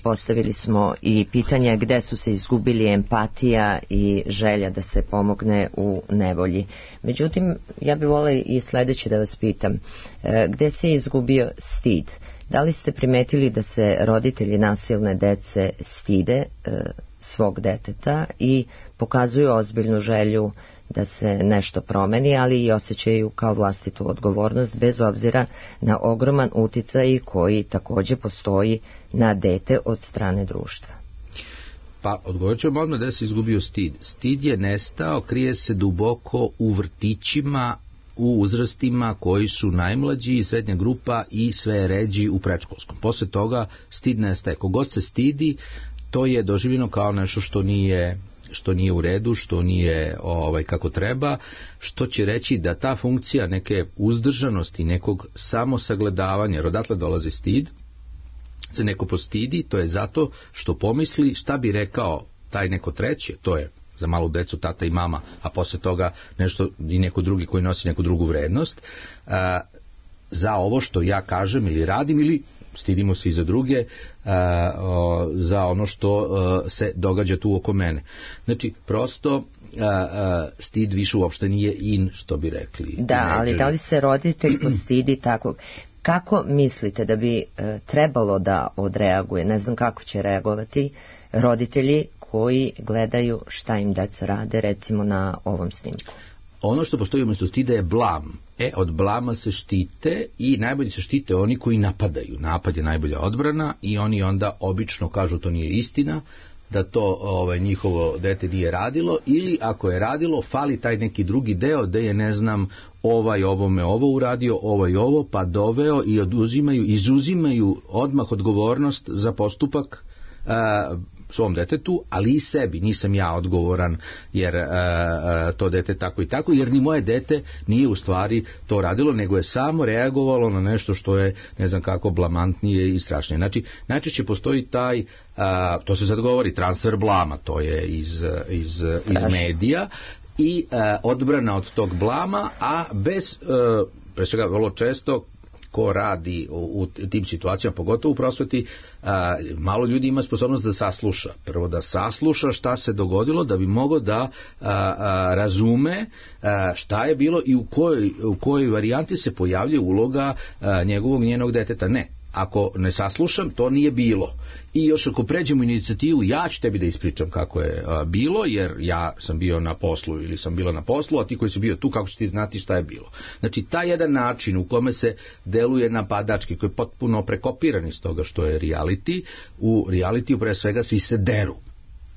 B: postavili smo i pitanje gde su se izgubili empatija i želja da se pomogne u nevolji. Međutim, ja bih volila i sledeće da vas pitam, gde se izgubio stid? Da li ste primetili da se roditelji nasilne dece stide e, svog deteta i pokazuju ozbiljnu želju da se nešto promeni, ali i osjećaju kao vlastitu odgovornost bez obzira na ogroman uticaj koji takođe postoji na dete od strane društva?
F: Pa, odgovorit ću vam odmah da se izgubio stid. Stid je nestao, krije se duboko u vrtićima, u uzrastima koji su najmlađi, srednja grupa i sve ređi u predškolskom. Posle toga stid nestaje. Kogod se stidi, to je doživljeno kao nešto što nije što nije u redu, što nije ovaj kako treba, što će reći da ta funkcija neke uzdržanosti, nekog samosagledavanja, jer odatle dolazi stid, se neko postidi, to je zato što pomisli šta bi rekao taj neko treći, to je za malu decu tata i mama, a posle toga nešto i neko drugi koji nosi neku drugu vrednost. A, za ovo što ja kažem ili radim, ili stidimo se i za druge uh, uh, za ono što uh, se događa tu oko mene. Znači, prosto uh, uh, stid više uopšte nije in, što bi rekli.
B: Da, ali da li se roditelj postidi takvog? Kako mislite da bi uh, trebalo da odreaguje, ne znam kako će reagovati roditelji koji gledaju šta im deca rade, recimo na ovom snimku?
F: Ono što postoji umjesto stida je blam. E, od blama se štite i najbolje se štite oni koji napadaju. Napad je najbolja odbrana i oni onda obično kažu to nije istina, da to ovaj, njihovo dete nije radilo, ili ako je radilo, fali taj neki drugi deo da je, ne znam, ovaj ovome ovo uradio, ovaj ovo, pa doveo i oduzimaju, izuzimaju odmah odgovornost za postupak a, svom detetu, ali i sebi. Nisam ja odgovoran jer a, a, to dete tako i tako, jer ni moje dete nije u stvari to radilo, nego je samo reagovalo na nešto što je, ne znam kako, blamantnije i strašnije. Znači, najčešće postoji taj, a, to se sad govori, transfer blama, to je iz, iz, iz medija, i a, odbrana od tog blama, a bez, a, pre svega vrlo često, ko radi u, u tim situacijama, pogotovo u prosveti, a, malo ljudi ima sposobnost da sasluša. Prvo da sasluša šta se dogodilo, da bi mogao da a, a, razume a, šta je bilo i u kojoj, u kojoj varijanti se pojavlja uloga a, njegovog njenog deteta. Ne. Ako ne saslušam, to nije bilo. I još ako pređemo inicijativu, ja ću tebi da ispričam kako je a, bilo, jer ja sam bio na poslu ili sam bila na poslu, a ti koji si bio tu, kako ćeš ti znati šta je bilo. Znači, taj jedan način u kome se deluje napadački, koji je potpuno prekopiran iz toga što je reality, u realitiju pre svega svi se deru.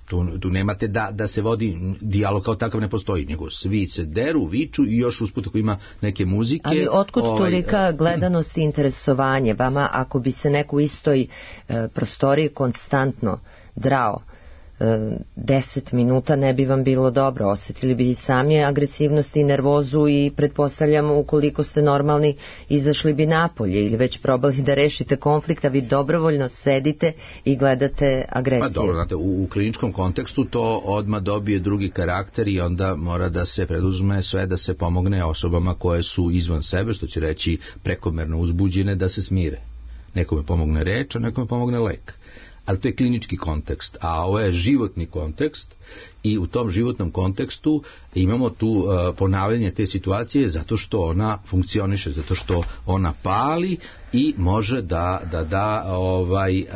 F: Tu, tu nemate da, da se vodi dijalog, kao takav ne postoji, nego svi se deru, viču i još usput ako ima neke muzike.
B: Ali otkud
F: ovaj,
B: tolika gledanost i interesovanje vama ako bi se neko u istoj e, prostoriji konstantno drao deset minuta, ne bi vam bilo dobro, osjetili bi i sami agresivnost i nervozu i pretpostavljam ukoliko ste normalni izašli bi napolje ili već probali da rešite konflikt, a vi dobrovoljno sedite i gledate agresiju.
F: Pa dobro, znate, u, u kliničkom kontekstu to odmah dobije drugi karakter i onda mora da se preduzme sve da se pomogne osobama koje su izvan sebe, što će reći prekomerno uzbuđene, da se smire. Nekome pomogne reč, a nekome pomogne lek. Ali to je klinički kontekst, a ovo je životni kontekst i u tom životnom kontekstu imamo tu uh, ponavljanje te situacije zato što ona funkcioniše, zato što ona pali i može da da, da ovaj, uh,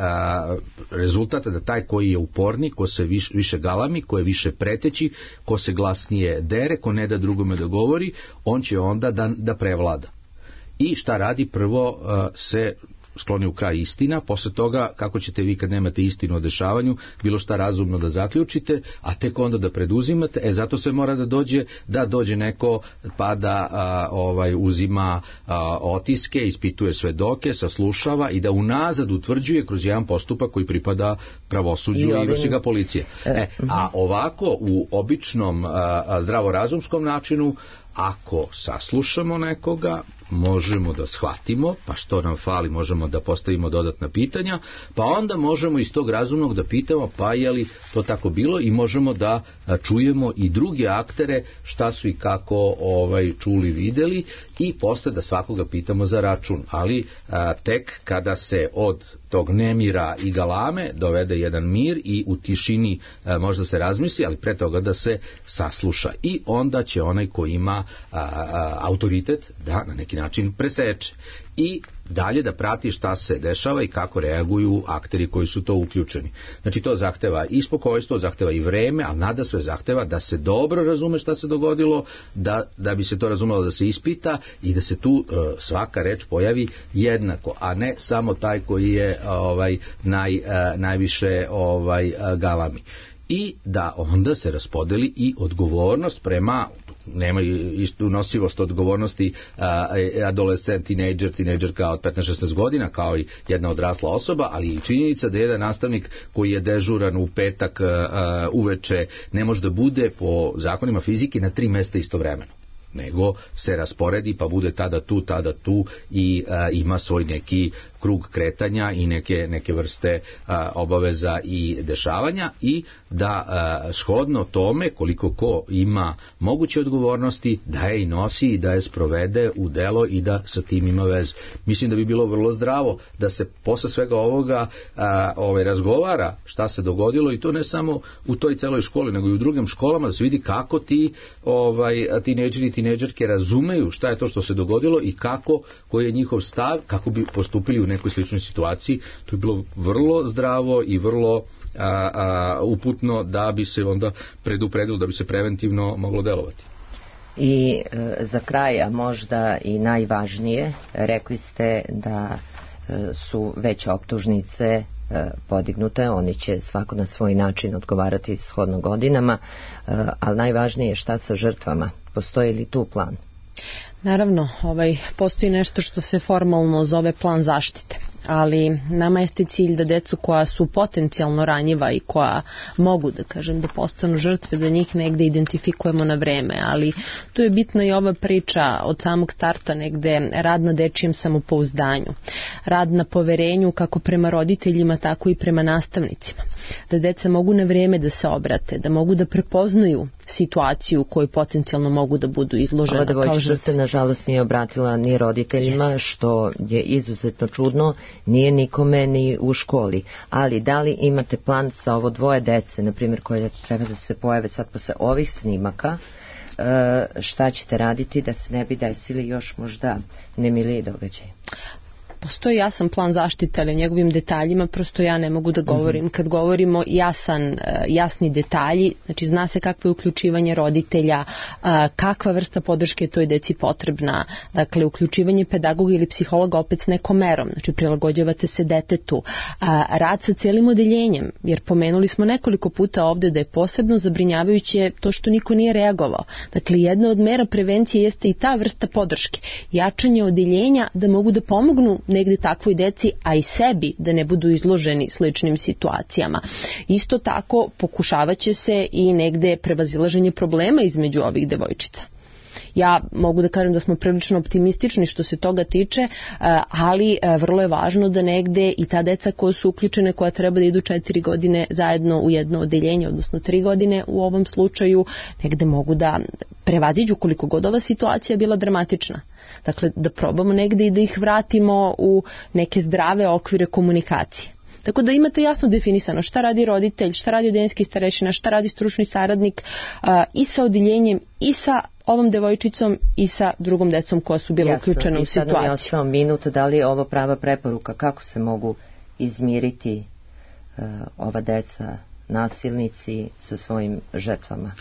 F: rezultat da taj koji je uporni, ko se viš, više galami, ko je više preteći, ko se glasnije dere, ko ne da drugome da govori, on će onda da, da prevlada. I šta radi? Prvo uh, se skloni u kraj istina, posle toga kako ćete vi kad nemate istinu o dešavanju bilo šta razumno da zaključite, a tek onda da preduzimate, e zato se mora da dođe da dođe neko pa da a, ovaj uzima a, otiske, ispituje svedoke, saslušava i da unazad utvrđuje kroz jedan postupak koji pripada pravosuđu i, ovim... i vrši ga policije. E, a ovako u običnom a, a, zdravorazumskom načinu, ako saslušamo nekoga, možemo da shvatimo, pa što nam fali, možemo da postavimo dodatna pitanja, pa onda možemo iz tog razumnog da pitamo, pa je li to tako bilo, i možemo da čujemo i druge aktere šta su i kako ovaj čuli, videli, i posle da svakoga pitamo za račun. Ali a, tek kada se od tog nemira i galame dovede jedan mir i u tišini a, možda se razmisli, ali pre toga da se sasluša. I onda će onaj ko ima a, a, autoritet da na neki način preseče i dalje da prati šta se dešava i kako reaguju akteri koji su to uključeni. Znači to zahteva i spokojstvo, zahteva i vreme, ali nada sve zahteva da se dobro razume šta se dogodilo, da, da bi se to razumelo da se ispita i da se tu uh, svaka reč pojavi jednako, a ne samo taj koji je ovaj naj, uh, najviše ovaj uh, galami. I da onda se raspodeli i odgovornost prema, nema istu nosivost odgovornosti a, adolescent, tinejdžer, tinejdžerka od petnaest šesnaest godina kao i jedna odrasla osoba, ali i činjenica da jedan nastavnik koji je dežuran u petak a, uveče ne može da bude po zakonima fizike na tri mesta istovremeno. nego se rasporedi pa bude tada tu, tada tu i a, ima svoj neki krug kretanja i neke, neke vrste a, obaveza i dešavanja i da a, shodno tome koliko ko ima moguće odgovornosti da je i nosi i da je sprovede u delo i da sa tim ima vezu. Mislim da bi bilo vrlo zdravo da se posle svega ovoga a, ovaj, razgovara šta se dogodilo i to ne samo u toj celoj školi nego i u drugim školama, da se vidi kako ti ovaj, tinejdžeri i tinejdžerke razumeju šta je to što se dogodilo i kako, koji je njihov stav, kako bi postupili u nekoj sličnoj situaciji. To je bilo vrlo zdravo i vrlo a, a, uputno da bi se onda predupredilo, da bi se preventivno moglo delovati.
B: I e, za kraj, a možda i najvažnije, rekli ste da e, su već optužnice e, podignute, oni će svako na svoj način odgovarati shodno godinama, e, ali najvažnije je šta sa žrtvama, postoji li tu plan?
E: Naravno, ovaj, postoji nešto što se formalno zove plan zaštite, ali nama jeste cilj da decu koja su potencijalno ranjiva i koja mogu, da kažem, da postanu žrtve, da njih negde identifikujemo na vreme, ali tu je bitna i ova priča od samog starta negde rad na dečijem samopouzdanju, rad na poverenju kako prema roditeljima, tako i prema nastavnicima, da deca mogu na vreme da se obrate, da mogu da prepoznaju situaciju u kojoj potencijalno mogu da budu izložena.
B: Ova devojčica se nažalost nije obratila ni roditeljima, što je izuzetno čudno, nije nikome ni u školi. Ali da li imate plan sa ovo dvoje dece, na primjer, koje treba da se pojave sad posle ovih snimaka, šta ćete raditi da se ne bi desili još možda nemiliji događaj?
E: Postoji jasan plan zaštite, ali o njegovim detaljima prosto ja ne mogu da govorim. Kad govorimo jasan, jasni detalji, znači zna se kakvo je uključivanje roditelja, kakva vrsta podrške je toj deci potrebna, dakle uključivanje pedagoga ili psihologa opet s nekom merom, znači prilagođavate se detetu, rad sa cijelim odeljenjem, jer pomenuli smo nekoliko puta ovde da je posebno zabrinjavajuće to što niko nije reagovao. Dakle, jedna od mera prevencije jeste i ta vrsta podrške, jačanje odeljenja da mogu da pomognu negde takvoj deci, a i sebi da ne budu izloženi sličnim situacijama. Isto tako pokušavat će se i negde prevazilaženje problema između ovih devojčica. Ja mogu da kažem da smo prilično optimistični što se toga tiče, ali vrlo je važno da negde i ta deca koja su uključene, koja treba da idu četiri godine zajedno u jedno odeljenje, odnosno tri godine u ovom slučaju, negde mogu da prevaziđu koliko god ova situacija bila dramatična. Dakle, da probamo negde i da ih vratimo u neke zdrave okvire komunikacije. Tako da imate jasno definisano šta radi roditelj, šta radi odeljenski starešina, šta radi stručni saradnik a, i sa odeljenjem i sa ovom devojčicom i sa drugom decom koja su bila
B: Jasno.
E: uključena u situaciju. I sad nam je
B: ostao minut, da li je ovo prava preporuka, kako se mogu izmiriti uh, ova deca, nasilnici sa svojim žrtvama?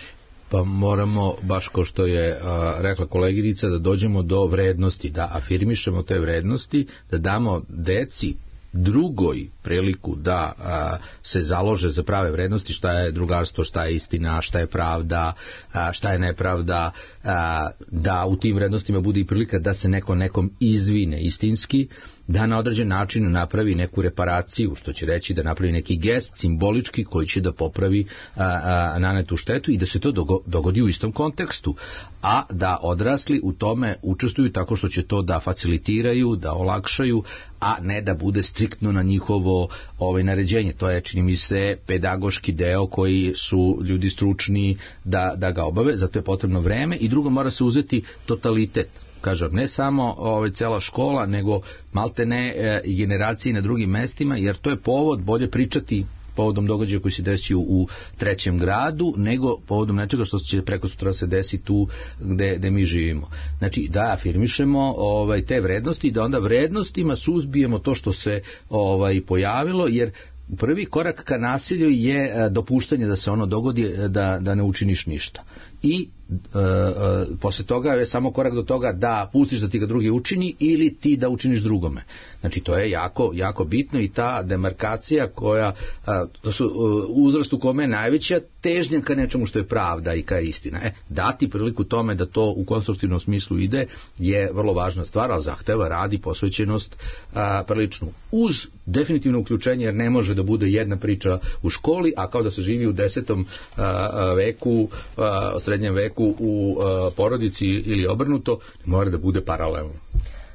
F: Pa moramo, baš kao što je a, rekla koleginica, da dođemo do vrednosti, da afirmišemo te vrednosti, da damo deci drugoj priliku da a, se založe za prave vrednosti, šta je drugarstvo, šta je istina, šta je pravda, a, šta je nepravda, a, da u tim vrednostima bude i prilika da se neko nekom izvine istinski, da na određen način napravi neku reparaciju, što će reći da napravi neki gest simbolički koji će da popravi a, a, nanetu štetu i da se to dogo, dogodi u istom kontekstu, a da odrasli u tome učestvuju tako što će to da facilitiraju, da olakšaju, a ne da bude striktno na njihovo ovaj, naređenje. To je, čini mi se, pedagoški deo koji su ljudi stručni da, da ga obave, zato je potrebno vreme i drugo mora se uzeti totalitet. Kažem, ne samo ovaj, cela škola, nego malte ne e, i generacije na drugim mestima, jer to je povod bolje pričati povodom događaja koji se desio u trećem gradu, nego povodom nečega što će preko sutra se desi tu gde, gde mi živimo. Znači, da afirmišemo ovaj, te vrednosti i da onda vrednostima suzbijemo to što se ovaj, pojavilo, jer prvi korak ka nasilju je dopuštanje da se ono dogodi, da, da ne učiniš ništa. I e, e, posle toga je samo korak do toga da pustiš da ti ga drugi učini ili ti da učiniš drugome. Znači to je jako, jako bitno i ta demarkacija koja, a, to su a, uzrast u kome je najveća težnja ka nečemu što je pravda i ka istina. E, dati priliku tome da to u konstruktivnom smislu ide je vrlo važna stvar, ali zahteva rad i posvećenost a, priličnu. Uz definitivno uključenje, jer ne može da bude jedna priča u školi, a kao da se živi u desetom a, a, veku a, srednjem veku u uh, porodici ili obrnuto, mora da bude paralelno.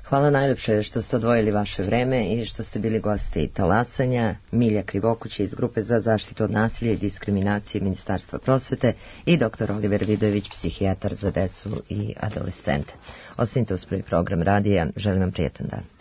B: Hvala najlepše što ste odvojili vaše vreme i što ste bili gosti Talasanja. Milja Krivokuć iz Grupe za zaštitu od nasilja i diskriminacije Ministarstva prosvete i doktor Oliver Vidojević, psihijatar za decu i adolescente. Ostanite uz prvi program radija. Želim vam prijetan dan.